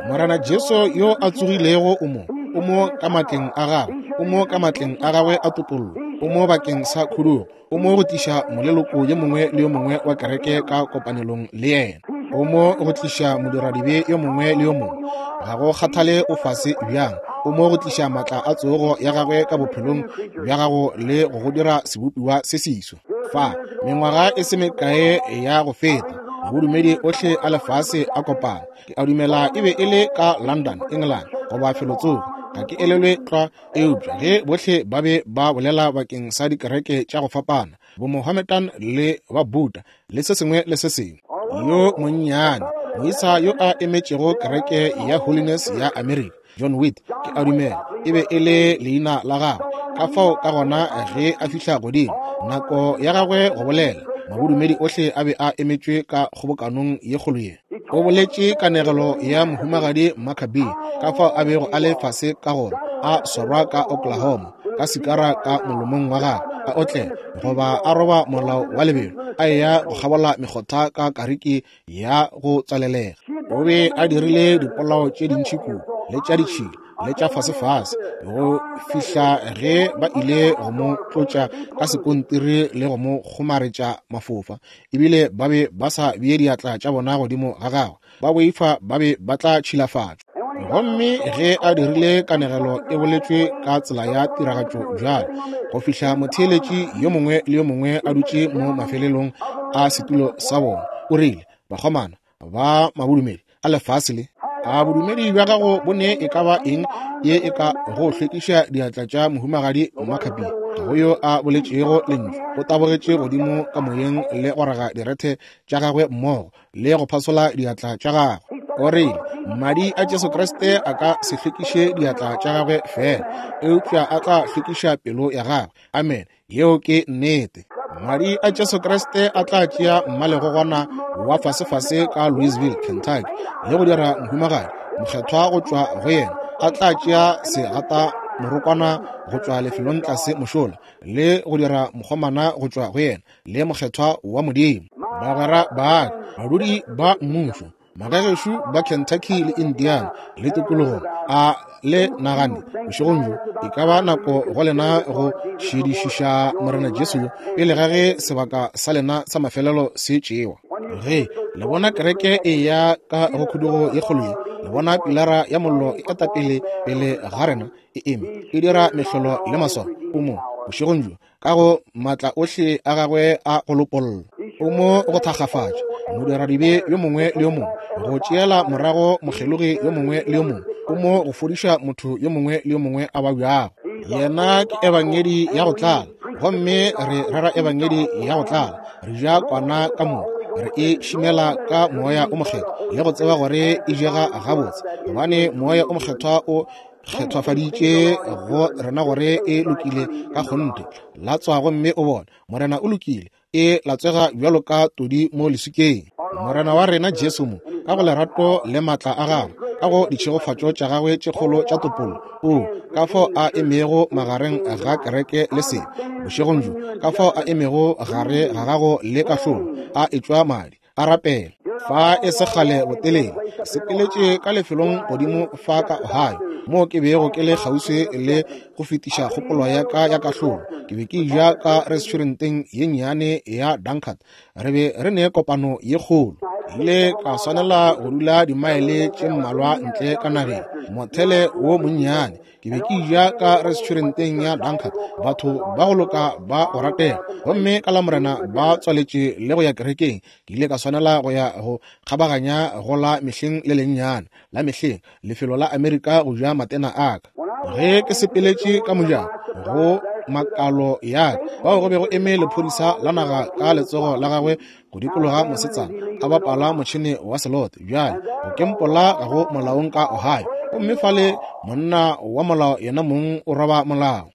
Morena Jesu yo a tsogilego o mo, o mo ka matleng a gagwe, o mo ka matleng a gagwe a topollo, o mo bakeng sa khudugo, o mo go tliša moleloko yo mongwe le yo mongwe wa kereke ka kopanelong le yena, o mo go tliša modiradibe yo mongwe le yo mongwe, ga go kgathale o fase bjang, o mo go tliša matla a tsogo ya gagwe ka bophelong bja gago le go go dira sebopiwa se seswa. Fa mengwaga e se mekae ya go feta, bodumedi ohle a lefase a kopana. Ke a dumela e be e le ka London, England, goba felotsoko, ga ke elelwe tlwa, eupša ge bohle ba be ba bolela bakeng sa dikereke tša go fapana, bomohammedan le ba Buddha le se sengwe le se sengwe, yo monnyane Moisa yo a emetšego kereke ya Holiness ya Amerika, John Witt, ke a dumela e be e le leina la gagwe. Ka fao ka gona ge a fihla godimo, nako ya gagwe go bolela, mabodumedi ohle a be a emetšwe ka kgobokanong ye kgolo ye. O boletše kanegelo ya Mohumagadi Maccabee, ka fao a bego a le fase ka gona, a swarwa ka Oklahoma, ka sikara ka molomong wa gagwe, a otlela goba a roba molao wa lebelo, a eya go kgabola mekgotha ka kariki ya go tswalelega. O be a dirile dipolao tše dintši kudu, le tša ditšhila, le tša fasefase, go fihla ge ba ile go mo tlotša ka sekontiri le go mo kgomaretša mafofa, ebile ba be ba sa bee diatla tša bona godimo ga gagwe, ba boifa ba be ba tla tšhilafatšwa. Gomme ge a dirile kanegelo e boletšwe ka tsela ya tiragatšo bjalo, go fihla motheeletši yo mongwe le yo mongwe a dutše mo mafelelong a setulo sa bona, o rile, Bakgomana ba mabodumedi a lefase le, a bodumedi bja gago bo ne e ka ba eng ye e ka go hlwekiša diatla tša Mohumagadi Maccabee? Ga go yo a boletšego lentšu. O tabogetše godimo ka moyeng le go raga direthe tša gagwe mmogo le go phasola diatla tša gagwe. O rile, Madi a Jesu Kriste a ka se hlwekiše diatla tša gagwe feela, eupša a tla hlwekiša pelo ya gagwe. Amen. Yeo ke nnete. Madi a Jesu Kriste a tla tšea mmalegogwana wa fasefase ka Louisville, Kentucky, le go dira mohumagadi mokgethwa go tšwa go yena. A tla tšea segata morokwana go tšwa lefelong tlase mošola, le go dira mokgomana go tšwa go yena, le mokgethwa wa Modimo. Bagwera ba ka, badudi ba mmušo, magagešo ba Kentucky le Indiana le tikologong, a le nagane bošegong bjo e ka ba nako go lena go šedišiša Morena Jesu yo pele ga ge sebaka sa lena sa mafelelo se tšewa. Ge le bona kereke e ya ka go khudugo ye kgolo ye, le bona pilara ya mollo e eta pele pele ga rena e eme e dira mehlolo le maswao, o mo bošegong bjo ka go maatla ohle a gagwe a go lopolla. O mo go thakgafatša modiradibe yo mongwe le yo mongwe, go tšeela morago mokgelogi yo mongwe le yo mongwe. O mo go fodiša motho yo mongwe le yo mongwe a babjago. Yena ke ebangedi ya go tlala, gomme re rera ebangedi ya go tlala. Re ja kwana ka moka, re e šimela ka Moya o Mokgethwa le go tseba gore e jega gabotse, gobane Moya o Mokgethwa o kgethwafaditše go rena gore e lokile ka kgonthe. Latswa gomme o bone, Morena o lokile, e latswega bjalo ka todi mo leswikeng. Morena wa rena Jesu mo, ka go lerato le maatla a gagwe, ka go ditšhegofatšo tša gagwe tše kgolo tša topollo, o ka fao a emego magareng ga kereke le sebe bošegong bjo, ka fao a emego gare ga gago le kahlolo, a etšwa madi, a rapela. Fa e se kgale botelele, ke sepeletše ka lefelong godimo fa ka Ohio, moo ke bego ke le kgauswi le go fetiša kgopolo ya ka ya kahlolo. Ke be ke ja ka restauranteng ye nnyane ya Dunkard. Re be re ne kopano ye kgolo. Ke ile ka swanela go dula dimaele tše mmalwa ntle ka nageng, mothele wo monnyane. Ke be ke ja ka restauranteng ya Dunkard, batho ba go loka ba go ratega, gomme ka Lamorena ba tswaletše le go ya kerekeng. Ke ile ka swanela go ya go kgabaganya go la mehleng le lennyane la mehleng lefelo la Amerika go ja matena a ka. Ge ke sepeletše ka mojako go makalo ya ka, fao go be go eme lephodisa la naga ka letsogo la gagwe go dikologa mosetsana a bapala motšhene wa selote. Bjale go kempola ga go molaong ka Ohio, gomme fale monna wa molao yena mong o roba molao.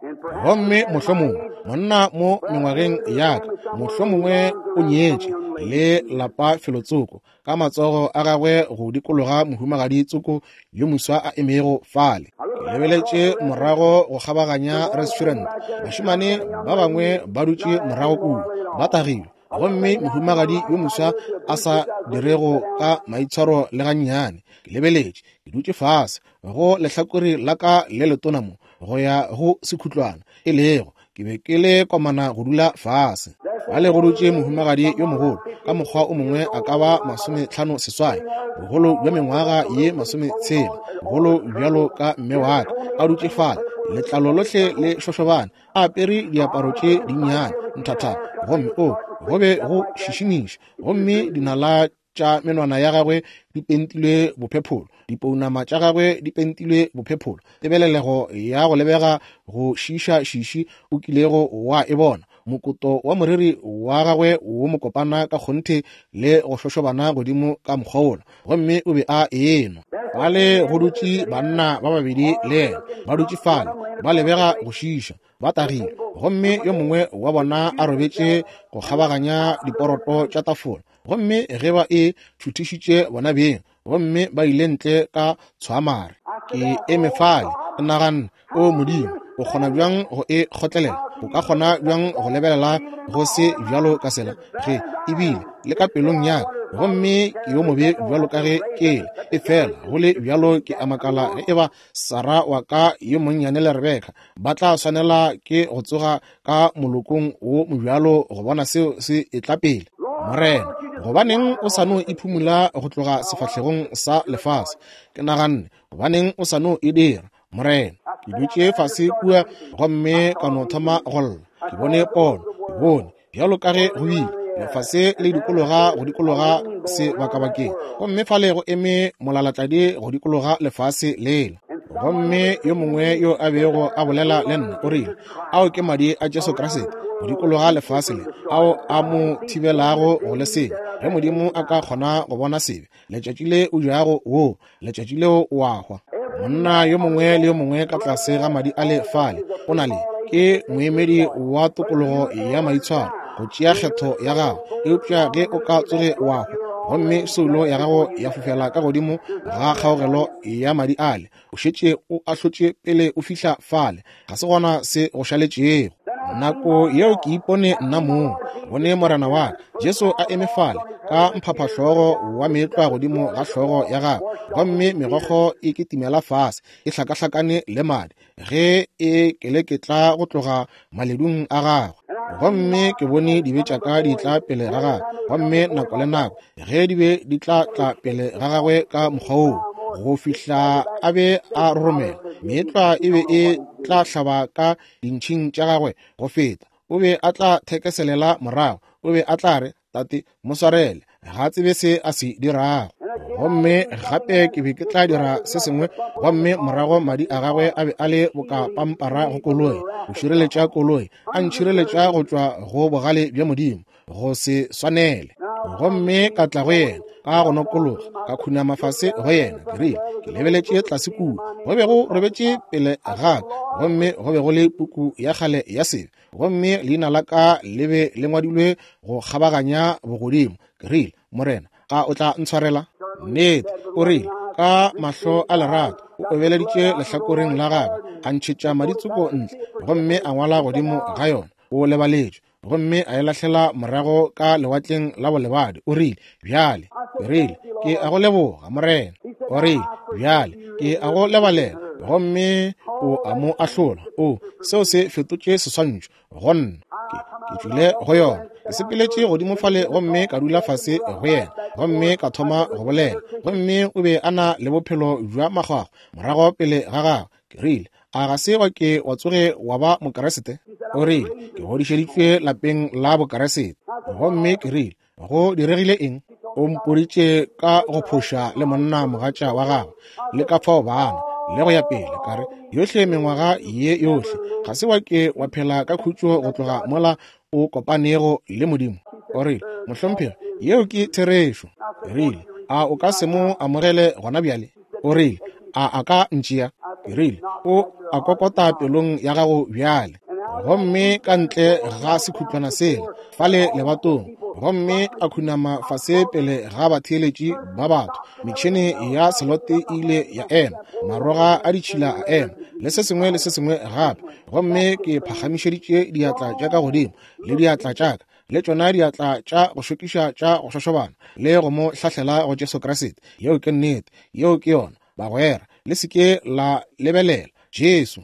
Gomme mohlomongwe monna mo mengwageng ya ka, mohlomongwe o nyetše le lapa felotsoko, ka matsogo a gagwe go dikologa mohumagadi tsoko yo moswa a emego fale. Ke lebeletše morago go kgabaganya restaurant, bašemane ba bangwe ba dutše morago kua ba tagilwe, gomme mohumagadi yo moswa a sa dirego ka maitshwaro le gannyane. Ke lebeletše, ke dutše fase go lehlakore la ka le letona mo go ya go sekhutlwana, e lego ke be ke le komana go dula fase. Bale go dutše mohumagadi yo mogolo, ka mokgwa o mongwe a ka ba 58, bogolo bja mengwaga ye 60, bogolo bjalo ka mme wa ka, a dutše fale, letlalo lohle le šošobane, a apere diaparo tše dinnyane nthathana, gomme o go be go šišimiša, gomme dinala tša menwana ya gagwe di pentilwe bophepholo, dipounama tša gagwe di pentilwe bophepholo, tebelelego ya go lebega go šiiša šiši o kilego wa e bona. Mokoto wa moriri wa gagwe wo mokopana ka kgonthe le go šošobana godimo ka mokgwa wola, gomme o be a enwa. Fale go dutše banna ba babedi le yena, ba dutše fale, ba lebega go šiiša, ba tagile, gomme yo mongwe wa bona a robetše go kgabaganya diporoto tša tafola, gomme ge ba e šuthišitše bona beng, gomme ba ile ntle ka tshwamare. Ke eme fale, ke naganne, O Modimo, o kgona bjang go e kgotlelela? O ka kgona bjang go lebelela go se bjalo ka sela, ge ebile le ka pelong ya ka, gomme ke yo mobe bjalo ka ge ke le? Efela go le bjalo ke a makala ge eba Sarah wa ka yo monnyane le Rebeka ba tla swanela ke go tsoga ka molokong wo mobjalo go bona seo se etla pele. Morena, gobaneng o sa no iphumula go tloga sefahlegong sa lefase? Ke naganne, gobaneng o sa no e dira, Morena? Ke dutše fase kua gomme ka no thoma go lla. Ke bone pono, ke bone bjalo ka ge go bile lefase le dikologa go dikologa sebakabakeng, gomme fale go eme molalatladi go dikologa lefase lela. Gomme yo mongwe yo a bego a bolela le nna o rile, Ao ke madi a Jesu Kriste go dikologa lefase le, ao a mo thibelago go le senya. Ge Modimo a ka kgona go bona sebe, letšatši le o jago woo, letšatši leo o a hwa. Monna yo mongwe le yo mongwe ka tlase ga madi a le fale o na le, ke moemedi wa tokologo ya maitshwaro go tšea kgetho ya gago. Eupša ge o ka tsoge wa hwa, gomme soulo ya gago ya fofela ka godimo ga kgaogelo ya madi ale, o šetše o ahlotše pele o fihla fale, ga se gona se go šaletšego. Nako yeo ke ipone nna mong, bone Morena wa ka Jesu a eme fale ka mphaphahlogo wa meetlwa godimo ga hlogo ya gagwe, gomme megokgo e kitimela fase e hlakahlakane le madi ge e keleketla go tloga maledung a gagwe. Gomme ke bone dibe tša ka di tla pele ga gagwe, gomme nako le nako ge di be di tla tla pele ga gagwe ka mokgwa woo, go fihla a be a roromela, meetlwa e be e tla hlaba ka dintšhing tša gagwe go feta. O be a tla thekeselela morago, o be a tla re, Tate, mo swarele, ga a tsebe se a se dirago. Gomme gape ke be ke tla dira se sengwe, gomme morago madi a gagwe a be a le boka pampara go koloi, go šireletša koloi, a ntšhireletša go tšwa go bogale bja Modimo, go se swanele. Gomme ka tla go yena ka go nokologa, ka khunama fase go yena. Ke rile, ke lebeletše tlase kua, go be go robetše pele ga ka, gomme go be go le puku ya kgale ya sebe, gomme leina la ka le be le ngwadilwe go kgabaganya bogodimo. Ke rile, Morena, a o tla ntshwarela? Nnete, o rile, ka mahlo a lerato, o obeleditše lehlakoreng la gagwe, a ntšhetša maditsoko ntle, gomme a ngwala godimo ga yona, o lebaletšwe, gomme a e lahlela morago ka lewatleng la bolebadi. O rile, Bjale, ke rile, ke a go leboga, Morena. O rile, Bjale, ke a go lebalela. Gomme o a mo ahlola. O, seo se fetotše seswantšho go nna. Ke, ke tšwile go yona. Ke sepeletše godimo fale gomme ka dula fase go yena, gomme ka thoma go bolela. Gomme o be a na le bophelo bja makgwakgwa morago pele ga gagwe. Ke rile, A ga se wa ke wa tsoge wa ba Mokeresete? O rile, Ke godišeditšwe lapeng la Bokeresete. Gomme ke rile, Go diregile eng? O mpoditše ka go phoša le monna mogatša wa gagwe, le ka fao bana, le go ya pele. Ka re, Yohle mengwaga ye yohle, ga se wa ke wa phela ka khutšo go tloga mola o kopanego le Modimo? O rile, Mohlomphegi, yeo ke therešo. Ke rile, A o ka se mo amogele gona bjale? O rile, A a ka ntšea? Ke rile, O a kokota pelong ya gago bjale. Gomme ka ntle ga sekhutlwana sela, fale lebatong, gomme a khunama fase pele ga batheeletši ba batho. Metšhene ya selote e ile ya ema, maroga a ditšhila a ema, le se sengwe le se sengwe gape. Gomme ke phagamišeditše diatla tša ka godimo, le diatla tša ka, le tšona diatla tša go šokiša tša go šošobana, le go mo hlahlela go Jesu Kriste. Yeo ke nnete. Yeo ke yona, bagwera. Le se ke la lebelela Jesu.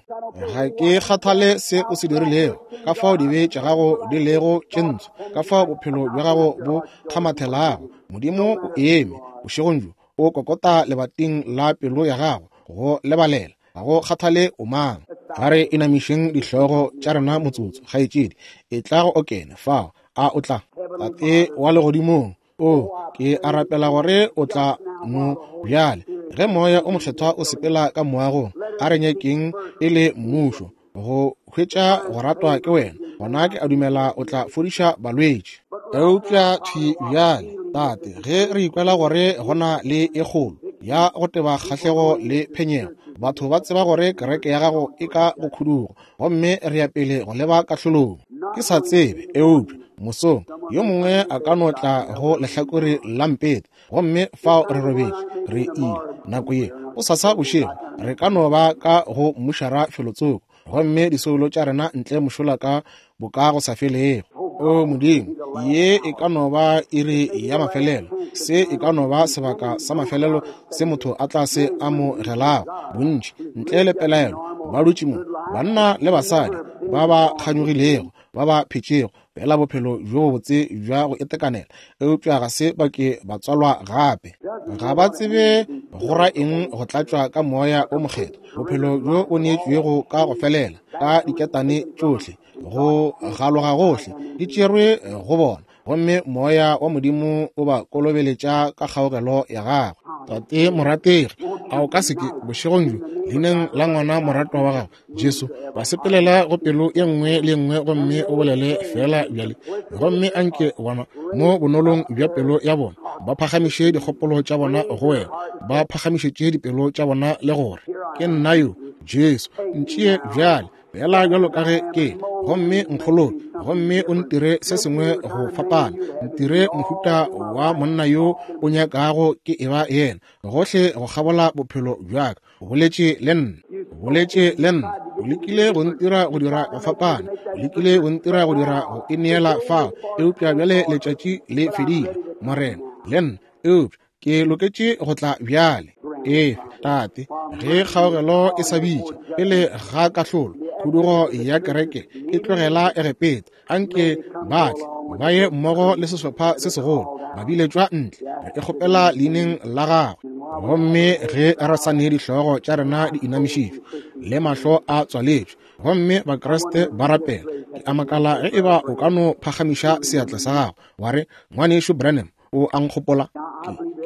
Ga ke kgathale se o se dirilego, ka fao dibe tša gago di lego tše ntsho, ka fao bophelo bja gago bo kgamathelago. Modimo o eme bošegong bjo, o kokota lebating la pelo ya gago go lebalela. Ga go kgathale o mang. A re inamišeng dihlogo tša rena motsotso, kgaetšedi. Etla go okene fao. A o tla? Tate wa Legodimong, o, ke a rapela gore o tla no bjale, ge Moya o Mokgethwa o sepela ka moagong, a re nyakeng e le mmušo, go hwetša go ratwa ke wena. gona ke a dumela o tla fodiša balwetši. Eupša thwi bjale, Tate, ge re ikwela gore go na le e kgolo ya go teba kgahlego le phenyego, batho ba tseba gore kereke ya gago e ka go khudugo, gomme re ya pele go leba kahlolong. Ke sa tsebe, eupša mosong yo mongwe a ka no tla go lehlakore la mpete, gomme fao re robetše, re ile. Nako ye, gosasa bošego, re ka no ba ka go mmušara felotsoko, gomme disoulo tša rena ntle mošola ka boka go sa felego. O Modimo, ye e ka no ba iri ya mafelelo, se e ka no ba sebaka sa mafelelo se motho a tla se amogelago. Bontši, ntle le pelaelo, ba dutše mo, banna le basadi ba ba kganyogilego, ba ba phetšego fela bophelo bjo bobotse bja go itekanela, eupša ga se ba ke ba tswalwa gape. Ga ba tsebe go ra eng go tlatšwa ka Moya o Mokgethwa, bophelo bjo bo neetšwego ka go felela, ka diketane tšohle, go galoga gohle, di tšerwe go bona, gomme Moya wa Modimo o ba kolobeletša ka kgaogelo ya gagwe. Tate morategi, a o ka se ke, bošegong bjo, leineng la ngwana moratwa wa gago, Jesu, ba sepelela go pelo ye nngwe le nngwe gomme o bolele feela bjale, gomme anke bona mo bonolong bja pelo ya bona ba phagamiše dikgopolo tša bona go wena, ba phagamišetše dipelo tša bona le gore, Ke nna yo, Jesu, ntšee bjale, fela bjalo ka ge ke, gomme nkgolole, gomme o ntire se sengwe go fapana, ntire mohuta wa monna yo o nyakago ke eba yena, gohle go kgabola bophelo bja ka. O boletše le nna, o boletše le nna, o lekile go ntira go dira go fapana, o lekile go ntira go dira go ineela fao, eupša bjale letšatši le fedile, Morena, le nna, eupša ke loketše go tla bjale. Efe, Tate, ge kgaogelo e sa bitša pele ga kahlolo, khudugo ya kereke e tlogela Egepeta, anke ba tle ba ye mmogo le sehlopha se segolo, ba biletšwa ntle. Re e kgopela leineng la gagwe. Gomme ge re sa ne dihlogo tša rena di inamišitšwe le mahlo a tswaletšwe, gomme Bakriste ba rapela, ke a makala ge e ba o ka no phagamiša seatla sa gago wa re, Ngwanešu Branham, o a nkgopola?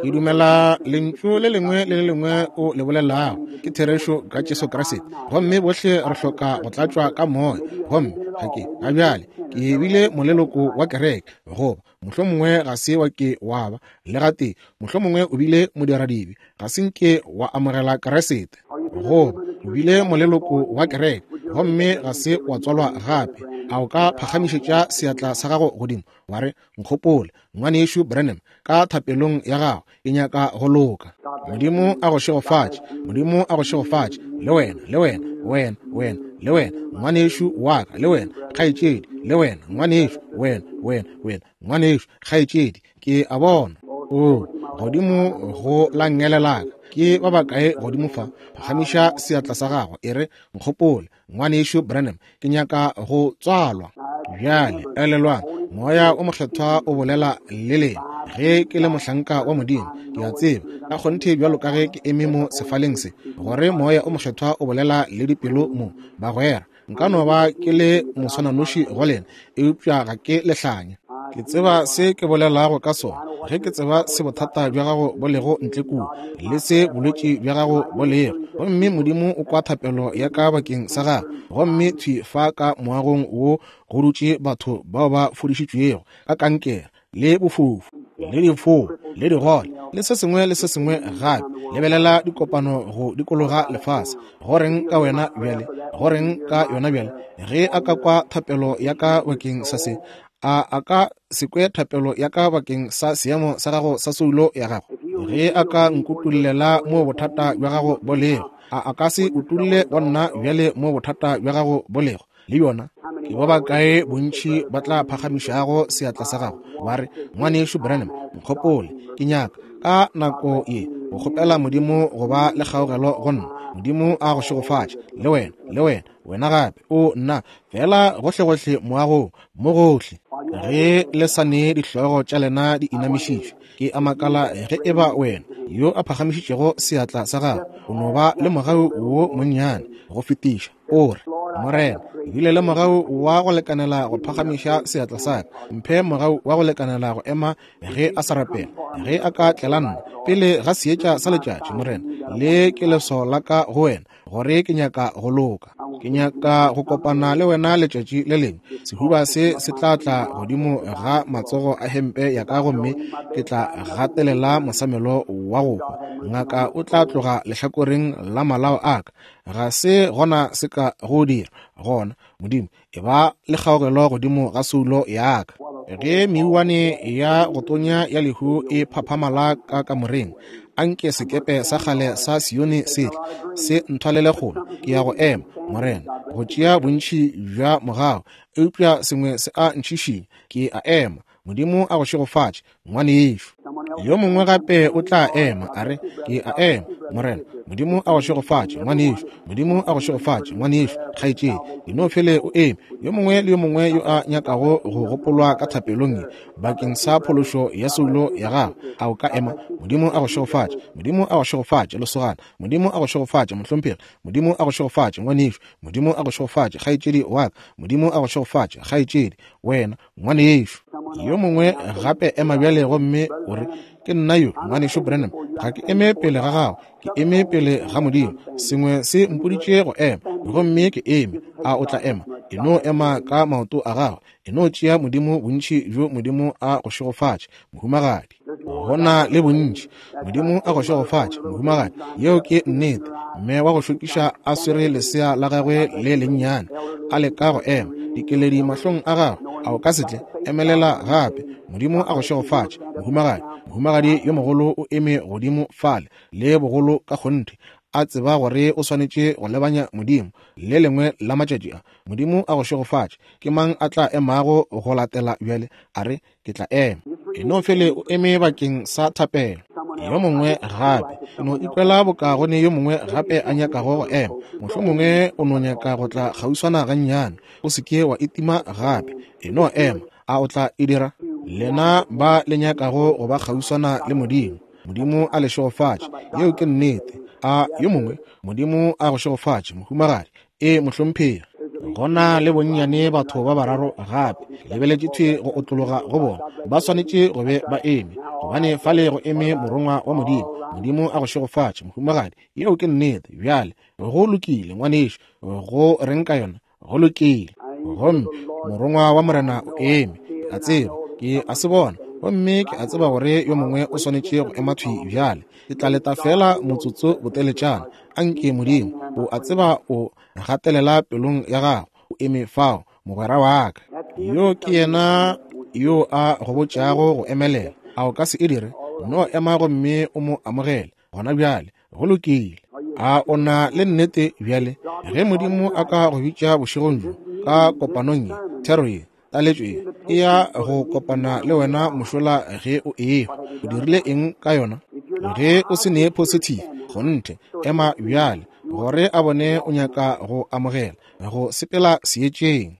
Ke dumela lentšu le lengwe le le lengwe o le bolelago ke therešo ka Jesu Kriste, gomme bohle re hloka go tlatšwa ka Moya. Gomme ga ke ga bjale ke bile moleloko wa kereke, goba mohlomongwe ga se wa ke wa ba le gatee, mohlomongwe o bile modiradibe, ga se nke wa amogela Kriste, goba o bile moleloko wa kereke gomme ga se wa tswalwa gape. A o ka phagamišetša seatla sa gago godimo wa re, Nkgopole, Ngwanešu Branham, ka thapelong ya gago, ke nyaka go loka. Modimo a go šegofatše. Modimo a go šegofatše. Le wena, le wena, wena, wena, le wena, ngwanešu wa ka, le wena, kgaetšedi, le wena, ngwanešu, wena, wena, wena, ngwanešu, kgaetšedi, ke a bona. O, godimo go la nngele la ka, ke ba bakae godimo fa? Phagamiša seatla sa gago, e re, Nkgopole, Ngwanešu Branham, ke nyaka go tswalwa. Bjale, elelwang, Moya o Mokgethwa o bolela le lena. Ge ke le mohlanka wa Modimo, ke a tseba, ka kgonthe bjalo ka ge ke eme mo sefaleng se, gore Moya o Mokgethwa o bolela le dipelo mo. Bagwera, nka no ba ke le moswananoši go lena, eupša ga ke lehlanya. Ke tseba se ke bolelago ka sona, ge ke tseba se bothata bja gago bo lego ntle kua, le se bolwetši bja gago bo lego. Gomme Modimo o kwa thapelo ya ka bakeng sa gago. Gomme thwi fa ka moagong wo go dutše batho bao ba fodišitšwego ka kankere, le bofofu, le difoo, le digole, le se sengwe le se sengwe gape. Lebelela dikopano go dikologa lefase. Go reng ka wena bjale? Go reng ka yona bjale? Ge a ka kwa thapelo ya ka bakeng sa se, a a ka se kwe thapelo ya ka bakeng sa seemo sa gago sa soulo ya gago? Ge a ka nkutollela mo bothata bja gago bo lego, a a ka se utolle go nna bjale mo bothata bja gago bo lego? Le yona ke ba bakae bontši ba tla phagamišago seatla sa gago ba re, Ngwanešu Branham, nkgopole, ke nyaka ka nako ye go kgopela Modimo go ba le kgaogelo go nna. Modimo a go šegofatše, le wena, le wena, wena gape. O nna, feela gohlegohle moagong, mo gohle. Ge le sa ne dihlogo tša lena di inamišitšwe, ke a makala ge e ba wena yo a phagamišitšego seatla sa gago o no ba le mogau wo monnyane go fetiša, o re, Morena, Ke bile le mogau wa go lekanela go phagamiša seatla sa ka. Mphe mogau wa go lekanela go ema ge a sa rapela, ge a ka tlela nna pele ga seetša sa letšatši, Morena. Le ke leswao la ka go wena, gore ke nyaka go loka. Ke nyaka go kopana le wena letšatši le lengwe. Sehuba se se tla tla godimo ga matsogo a hempe ya ka, gomme ke tla gatelela mosamelo wa go hwa. Ngaka o tla tloga lehlakoreng la malao a ka. Ga se gona se ka go dira. Gona, Modimo, e ba le kgaogelo godimo ga soulo ya ka. Ge meuwane ya go tonya ya lehu e phaphamala ka kamoreng, anke sekepe sa kgale sa Sione se tle, se nthwalele kgole. Ke ya go ema, Morena, go tšea bontši bja mogau, eupša sengwe se a ntšhišinya. Ke a ema. Modimo a go šegofatše, ngwanešu. Yo mongwe gape o tla ema, a re, Ke a ema, Morena. Modimo a go šegofatše, ngwanešu. Modimo a go šegofatše, ngwanešu, kgaetšedi. E no fele o eme. Yo mongwe le yo mongwe yo a nyakago go gopolwa ka thapelong ye bakeng sa phološo ya soulo ya gago, a o ka ema? Modimo a go šegofatše. Modimo a go šegofatše, lesogana. Modimo a go šegofatše, mohlomphegi. Modimo a go šegofatše, ngwanešu. Modimo a go šegofatše, kgaetšedi wa ka. Modimo a go šegofatše, kgaetšedi. Wena, ngwanešu. Yo mongwe gape ema bjale gomme o re, Ke nna yo, ngwanešu Branham. Ga ke eme pele ga gago, ke eme pele ga Modimo. Sengwe se mpoditše go ema, gomme ke eme. A o tla ema? E no ema ka maoto a gago. E no tšea Modimo bontši bjo Modimo a go šegofatše, mohumagadi. Go na le bontši. Modimo a go šegofatše, mohumagadi. Yeo ke nnete. Mme wa go šokiša a swere lesea la gagwe le lennyane, a leka go ema, dikeledi mahlong a gagwe. A o ka se tle? Emelela gape. Modimo a go šegofatše, mohumagadi. Mohumagadi yo mogolo o eme godimo fale, le bogolo ka kgonthe, a tseba gore o swanetše go lebanya Modimo le lengwe la matšatši a. Modimo a go šegofatše. Ke mang a tla emago go latela bjale? A re, Ke tla ema. E no fele o eme bakeng sa thapelo. Yo mongwe gape. Ke no ikwela boka go ne yo mongwe gape a nyakago go ema. Mohlomongwe o no nyaka go tla kgauswana gannyane. O se ke wa itima gape. E no ema. A o tla e dira? Lena ba le nyakago go ba kgauswana le Modimo, Modimo a le šegofatše. Yeo ke nnete. A yo mongwe? Modimo a go šegofatše, mohumagadi. Ee, mohlomphegi. Go na le bonnyane batho ba bararo gape. Ke lebeletše thwi go otlologa go bona. Ba swanetše go be ba eme, gobane fale go eme Morongwa wa Modimo. Modimo a go šegofatše, mohumagadi. Yeo ke nnete. Bjale, go lokile, ngwanešu. Go reng ka yona? Go lokile. Gomme Morongwa wa Morena o eme. Ke a tseba. Ke a se bona. Gomme ke a tseba gore yo mongwe o swanetše go ema thwi bjale. Ke tla leta feela motsotso boteletšana. Anke Modimo, o a tseba o gatelela pelong ya gago, o eme fao, mogwera wa ka. Yo ke yena yo a go botšago go emelela. A o ka se e dire? No ema gomme o mo amogele gona bjale. Go lokile. A o na le nnete bjale? Ge Modimo a ka go bitša bošegong bjo ka kopanong ye, thero ye, taletšo ye e ya go kopana le wena mošola ge o ehwa. O dirile eng ka yona? Ge o se ne positive, kgonthe, ema bjale, gore a bone o nyaka go amogela, go sepela seetšeng.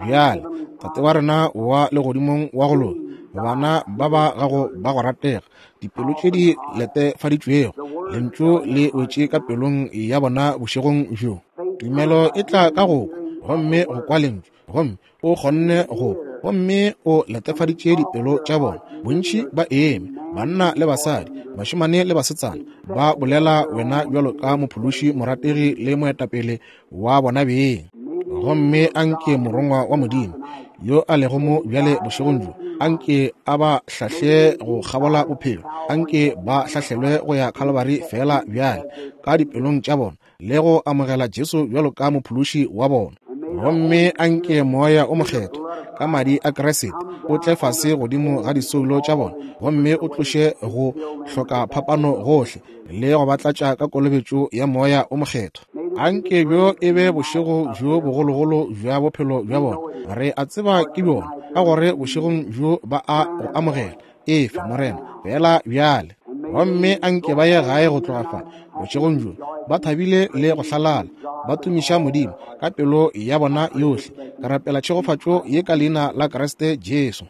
Bjale, Tate wa rena wa Legodimong wa go loka, bana ba ba gago ba go ratega, dipelo tše di letefaditšwego, Lentšu le wetše ka pelong ya bona bošegong bjo. Tumelo e tla ka go kwa, gomme go kwa Lentšu, gomme o kgonne go, gomme o letefaditše dipelo tša bona. Bontši ba eme, banna le basadi, bašemane le basetsana, ba bolela wena bjalo ka Mophološi, morategi le moetapele wa bona beng. Gomme anke Morongwa wa Modimo, yo a lego mo bjale bošegong bjo, anke a ba hlahle go kgabola bophelo, anke ba hlahlelwe go ya Khalibari feela bjale, ka dipelong tša bona, le go amogela Jesu bjalo ka Mophološi wa bona. Gomme anke Moya o Mokgethwa, ka Madi a Kriste, o tle fase godimo ga disoulo tša bona, gomme o tloše go hloka phapano gohle, le go ba tlatša ka kolobetšo ya Moya o Mokgethwa. Anke bjo e be bošego bjo bogologolo bja bophelo bja bona. Re a tseba ke bjona, ka gore bošegong bjo ba a go amogela. Efa, Morena, feela bjale. Gomme anke ba ye gae go tloga fa, bošegong bjo, ba thabile le go hlalala, ba tumiša Modimo ka pelo ya bona yohle. Ke rapela tšhegofatšo ye ka Leina la Kriste Jesu.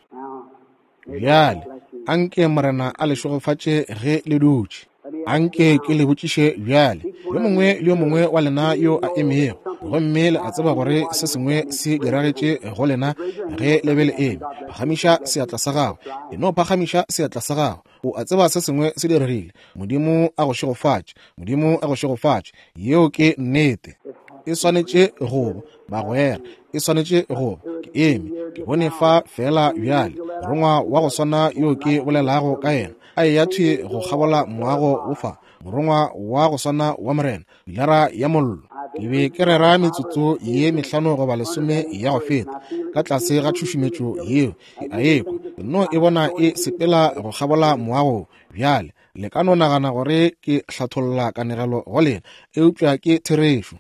Bjale, anke Morena a le šegofatše ge le dutše. Anke ke le botšiše bjale. Yo mongwe le yo mongwe wa lena yo a emego, gomme le a tseba gore se sengwe se diragetše go lena ge le be le eme, phagamiša seatla sa gago. E no phagamiša seatla sa gago. O a tseba se sengwe se diregile. Modimo a go šegofatše. Modimo a go šegofatše. Yeo ke nnete. E swanetše go ba, bagwera. E swanetše go ba. Ke eme, ke bone fa feela bjale, morongwa wa go swana yo ke bolelago ka yena, a eya thwi go kgabola moago wo fa, morongwa wa go swana wa Morena, pilara ya mollo. Ke be ke rera metsotso ye mehlano goba lesome ya go feta, ka tlase ga tšhušumetšo yeo, ke a ekwa, ke no e bona e sepela go kgabola moago bjale. Le ka no nagana gore ke hlatholla kanegelo go lena, eupša ke therešo.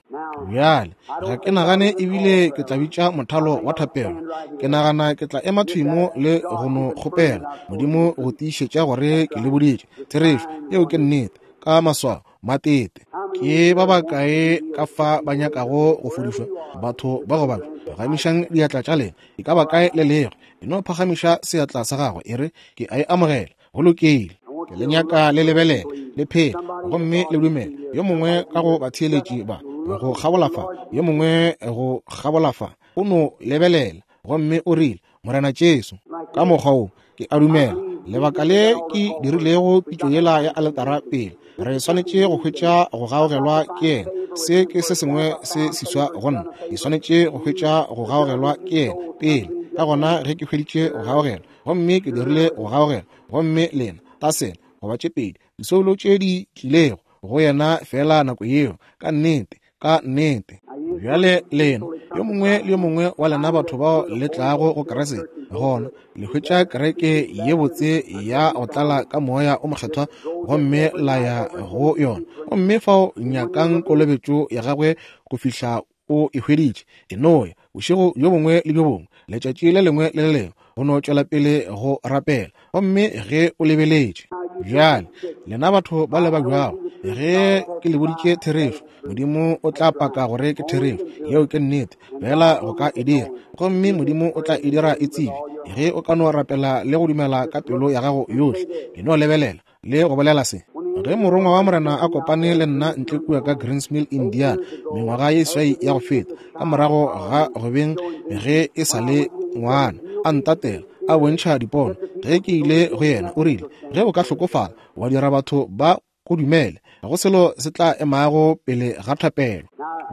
Bjale, ga ke nagane ebile ke tla bitša mothalo wa thapelo. Ke nagana ke tla ema thwi mo le go no kgopela Modimo go tiišetša gore ke le boditše therešo. Yeo ke nnete, ka maswao, matete. Ke ba bakae ka fa ba nyakago go fodišwa? Batho ba go babja, phagamišang diatla tša lena. E ka ba kae le lego, e no phagamiša seatla sa gago, e re, Ke a e amogela. Go lokile. Ke le nyaka le lebelele, le phele, gomme le dumele. Yo mongwe ka go batheeletši ba, go kgabola fa, yo mongwe go kgabola fa, o no lebelela, gomme o rile, Morena Jesu, ka mokgwa wo, ke a dumela, lebaka le ke dirilego pitšo yela ya aletara pele, re swanetše go hwetša go gaogelwa ke yena. Se ke se sengwe se seswa go nna. Ke swanetše go hwetša go gaogelwa ke yena pele. Ka gona ge ke hweditše go gaogelwa, gomme ke dirile go gaogela, gomme lena tasene goba tše pedi disoulo tše di tlilego go yena feela nako yeo, ka nnete, ka nnete. Bjale lena, yo mongwe le yo mongwe wa lena batho bao le tlago go Kriste, gona le hwetša kereke ye botse ya go tlala ka Moya o Mokgethwa, gomme la ya go yona, gomme fao nyakang kolobetšo ya gagwe go fihla o e hweditše. E no ya bošego bjo bongwe le bjo bongwe, letšatši le lengwe le le lengwe, go no tšwela pele go rapela, gomme ge o lebeletše. Bjale, lena batho ba le babjago, ge ke le boditše therešo, Modimo o tla paka gore ke therešo. Yeo ke nnete, fela go ka e dira. Gomme Modimo o tla e dira e tsebe, ge o ka no rapela le go dumela ka pelo ya gago yohle. E no lebelela le go bolela se. Ge morongwa wa Morena a kopane le nna ntle kua ka Greens Mill, Indiana, mengwaga ye swai ya go feta, ka morago ga go beng ge e sa le ngwana, a ntatela, a bontšha dipono. Ge ke ile go yena, o rile, Ge o ka hlokofala, wa dira batho ba go dumele, ga go selo se tla emago pele ga thapelo.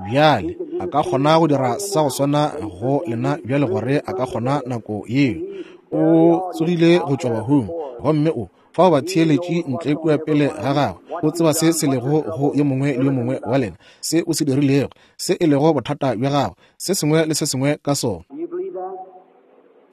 Bjale, a ka kgona go dira sa go swana go lena bjale gore a ka kgona nako yeo. O tsogile go tšwa bahung, gomme o fao batheeletši ntle kua pele ga gagwe. O tseba se se lego go yo mongwe le yo mongwe wa lena, se o se dirilego, se e lego bothata bja gago, se sengwe le se sengwe ka sona.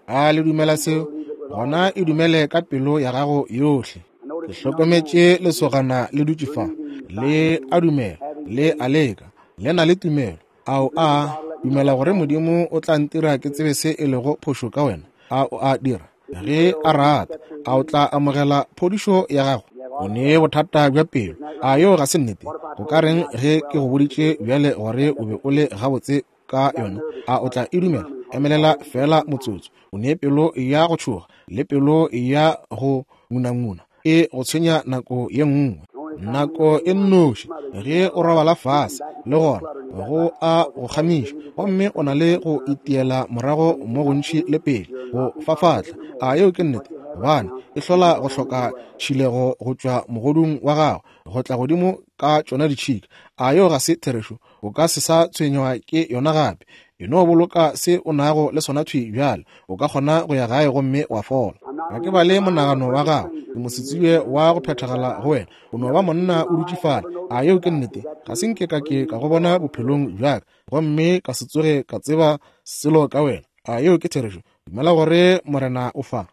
A le dumela seo? Gona e dumele ka pelo ya gago yohle. Ke hlokometše lesogana le dutše fa, le a dumela, le a leka, le na le tumelo. A o a dumela gore Modimo o tla ntira ke tsebe se e lego phošo ka wena? A o a dira? Ge a rata, a o tla amogela phodišo ya gago? O ne bothata bja pelo. A yeo ga se nnete? Go ka reng ge ke go boditše bjale gore o be o le gabotse ka yona? A o tla e dumela? Emelela feela motsotso. O ne pelo ya go tšhoga le pelo ya go ngunanguna e go tshwenya nako ye nngwe. Nako e nnoši ge o robala fase, le gona go a go kgamiša, gomme o na le go itiela morago mo gontši le pele go fafatla. A yeo ke nnete? Gobane e hlola go hloka tšhilego go tšwa mogodung wa gago go tla godimo ka tšona ditšhika. A yeo ga se therešo? O ka se sa tshwenywa ke yona gape. E no boloka se o nago le sona thwi bjale. O ka kgona go ya gae gomme wa fola. Ga ke bale monagano wa gago. Ke mosetsebje wa go phethagala go wena. O no ba monna o dutše fale. A yeo ke nnete? Ga se nke ka ke ka go bona bophelong bja ka, gomme ka se tsoge ka tseba selo ka wena. A yeo ke therešo? Dumela gore Morena o fa.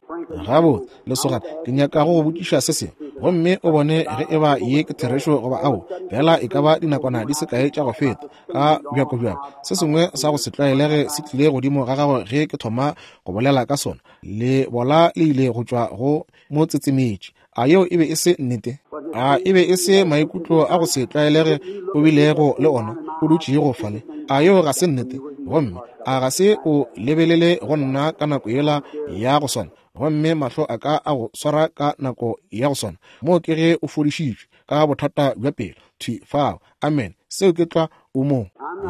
Gabotse, lesogana, ke nyaka go go botšiša se sengwe, gomme o bone ge e ba ye ke therešo goba ao. Fela e ka ba dinakwana di se kae tša go feta, ka bjakobjako, se sengwe sa go se tlwaelege se tlile godimo ga gago ge ke thoma go bolela ka sona. Lebola le ile go tšwa go motsetsemetši. A yeo e be e se nnete? A e be e se maikutlo a go se tlwaelege o bilego le ona o dutšego fale? A yeo ga se nnete? Gomme a ga se o lebelele go nna ka nako yela ya go swana, gomme mahlo a ka a go swara ka nako ya go swana? Moo ke ge o fodišitšwe. ka bothata bja pelo, thwi fao. Amene. Seo ke tlwa. O mo.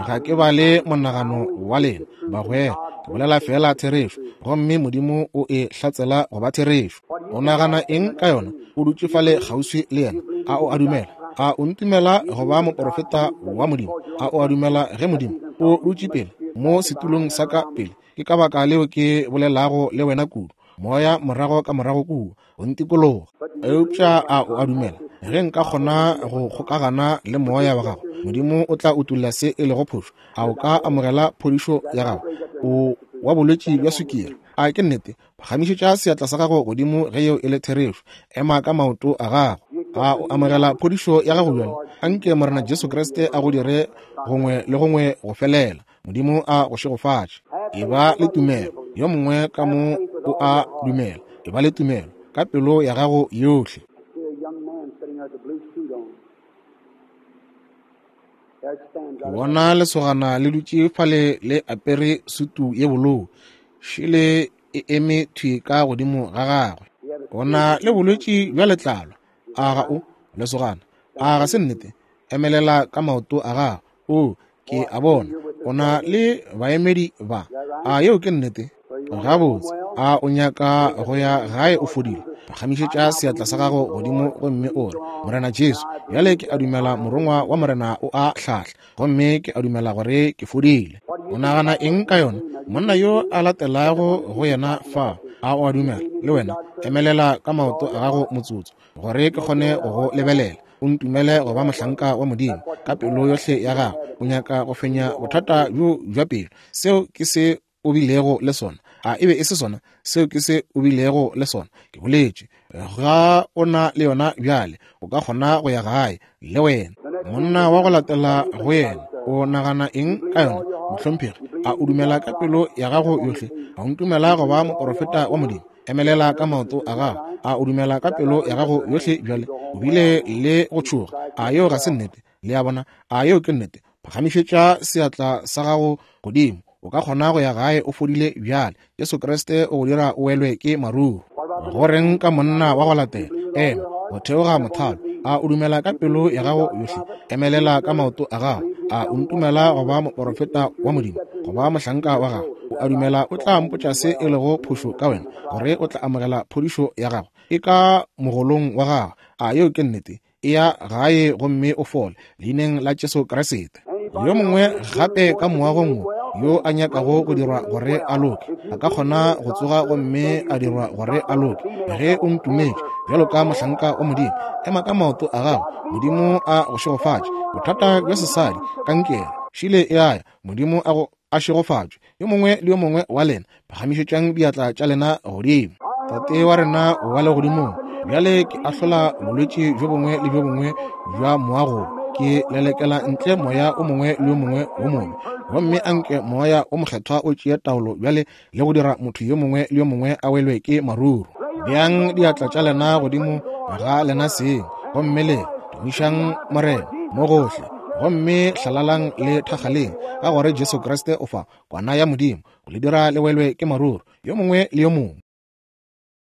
Ga ke bale monagano wa lena, bagwera. Ke bolela feela therešo, gomme Modimo o e hlatsela go ba therešo. O nagana eng ka yona? O dutše fale kgauswi le yena. A o a dumela? A o ntumela go ba moporofeta wa Modimo? A o a dumela ge Modimo o dutše pele mo setulong sa ka pele? Ke ka baka leo ke bolelago le wena kudu. Moya morago ka morago kua, o ntikologa. Eupša a o a dumela ge nka kgona go kgokagana le moya wa gago, Modimo o tla utolla se e lego phošo? A o ka amogela phodišo ya gago? O wa bolwetši bja sukiri. A ke nnete? Phagamišetša seatla sa gago godimo ge yeo e le therešo. Ema ka maoto a gago. A o amogela phodišo ya gago bjale? Anke Morena Jesu Kriste a go dire gongwe le gongwe go felela. Modimo a go šegofatše. Eba le tumelo. Yo mongwe ka mo o a dumela. Eba le tumelo ka pelo ya gago yohle. Ke bona lesogana le dutše fale le apere sutu ye bolou, šele e eme thwi ka godimo ga gagwe. O na le bolwetši bja letlalo, a ga o, lesogana? A ga se nnete? Emelela ka maoto a gago. O, ke a bona o na le baemedi ba. A yeo ke nnete? Gabotse, a o nyaka go ya gae o fodile? Phagamišetša seatla sa gago godimo gomme o re, Morena Jesu, bjale ke a dumela Morongwa wa Morena o a hlahla, gomme ke a dumela gore ke fodile. O nagana eng ka yona? Monna yo a latelago go yena fa, a o a dumela le wena? Emelela ka maoto a gago motsotso, gore ke kgone go go lebelela. O ntumele go ba mohlanka wa Modimo ka pelo yohle ya gago. O nyaka go fenya bothata bjo bja pelo. Seo ke se o bilego le sona. A e be e se sona? Seo ke se o bilego le sona. Ke boletše. Ga o na le yona bjale. O ka kgona go ya gae le wena. Monna wa go latela go yena, o nagana eng ka yona, mohlomphegi? A o dumela ka pelo ya gago yohle? A o ntumela go ba moporofeta wa Modimo? Emelela ka maoto a gago. A o dumela ka pelo ya gago yohle bjale? O bile le go tšhoga. A yeo ga se nnete? Le a bona? A yeo ke nnete? Phagamišetša seatla sa gago godimo. O ka kgona go ya gae o fodile bjale. Jesu Kriste o go dira o welwe ke maruru. Go reng ka monna wa go latela? Ema, go theoga mothalo. A o dumela ka pelo ya gago yohle? Emelela ka maoto a gago. A o ntumela go ba moporofeta wa Modimo, go ba mohlanka wa gago? O a dumela o tla mpotša se e lego phošo ka wena, gore o tla amogela phodišo ya gago? E ka mogolong wa gago. A yeo ke nnete? Eya gae gomme o fole, leineng la Jesu Kriste. Yo mongwe gape ka moagong wo yo a nyakago go dirwa gore a loke, a ka kgona go tsoga gomme a dirwa gore a loke. Ge o ntumetše bjalo ka mohlanka wa Modimo, ema ka maoto a gago. Modimo a go šegofatše. Bothata bja sesadi, kankere, šile e a ya. Modimo a go a šegofatšwe. Yo mongwe le yo mongwe wa lena, phagamišetšang diatla tša lena godimo. Tate wa rena wa legodimong, bjale ke ahlola bolwetši bjo bongwe le bjo bongwe bja moago. Ke lelekela ntle moya o mongwe le yo mongwe wo mobe, gomme anke Moya wo Mokgethwa o tšee taolo bjale le go dira motho yo mongwe le yo mongwe a welwe ke maruru. Beang diatla tša lena godimo ga lena seng, gomme le tumišang Morena mo gohle, gomme hlalalang le thakgaleng, ka gore Jesu Kriste o fa, Kwana ya Modimo, go le dira le welwe ke maruru, yo mongwe le yo mongwe.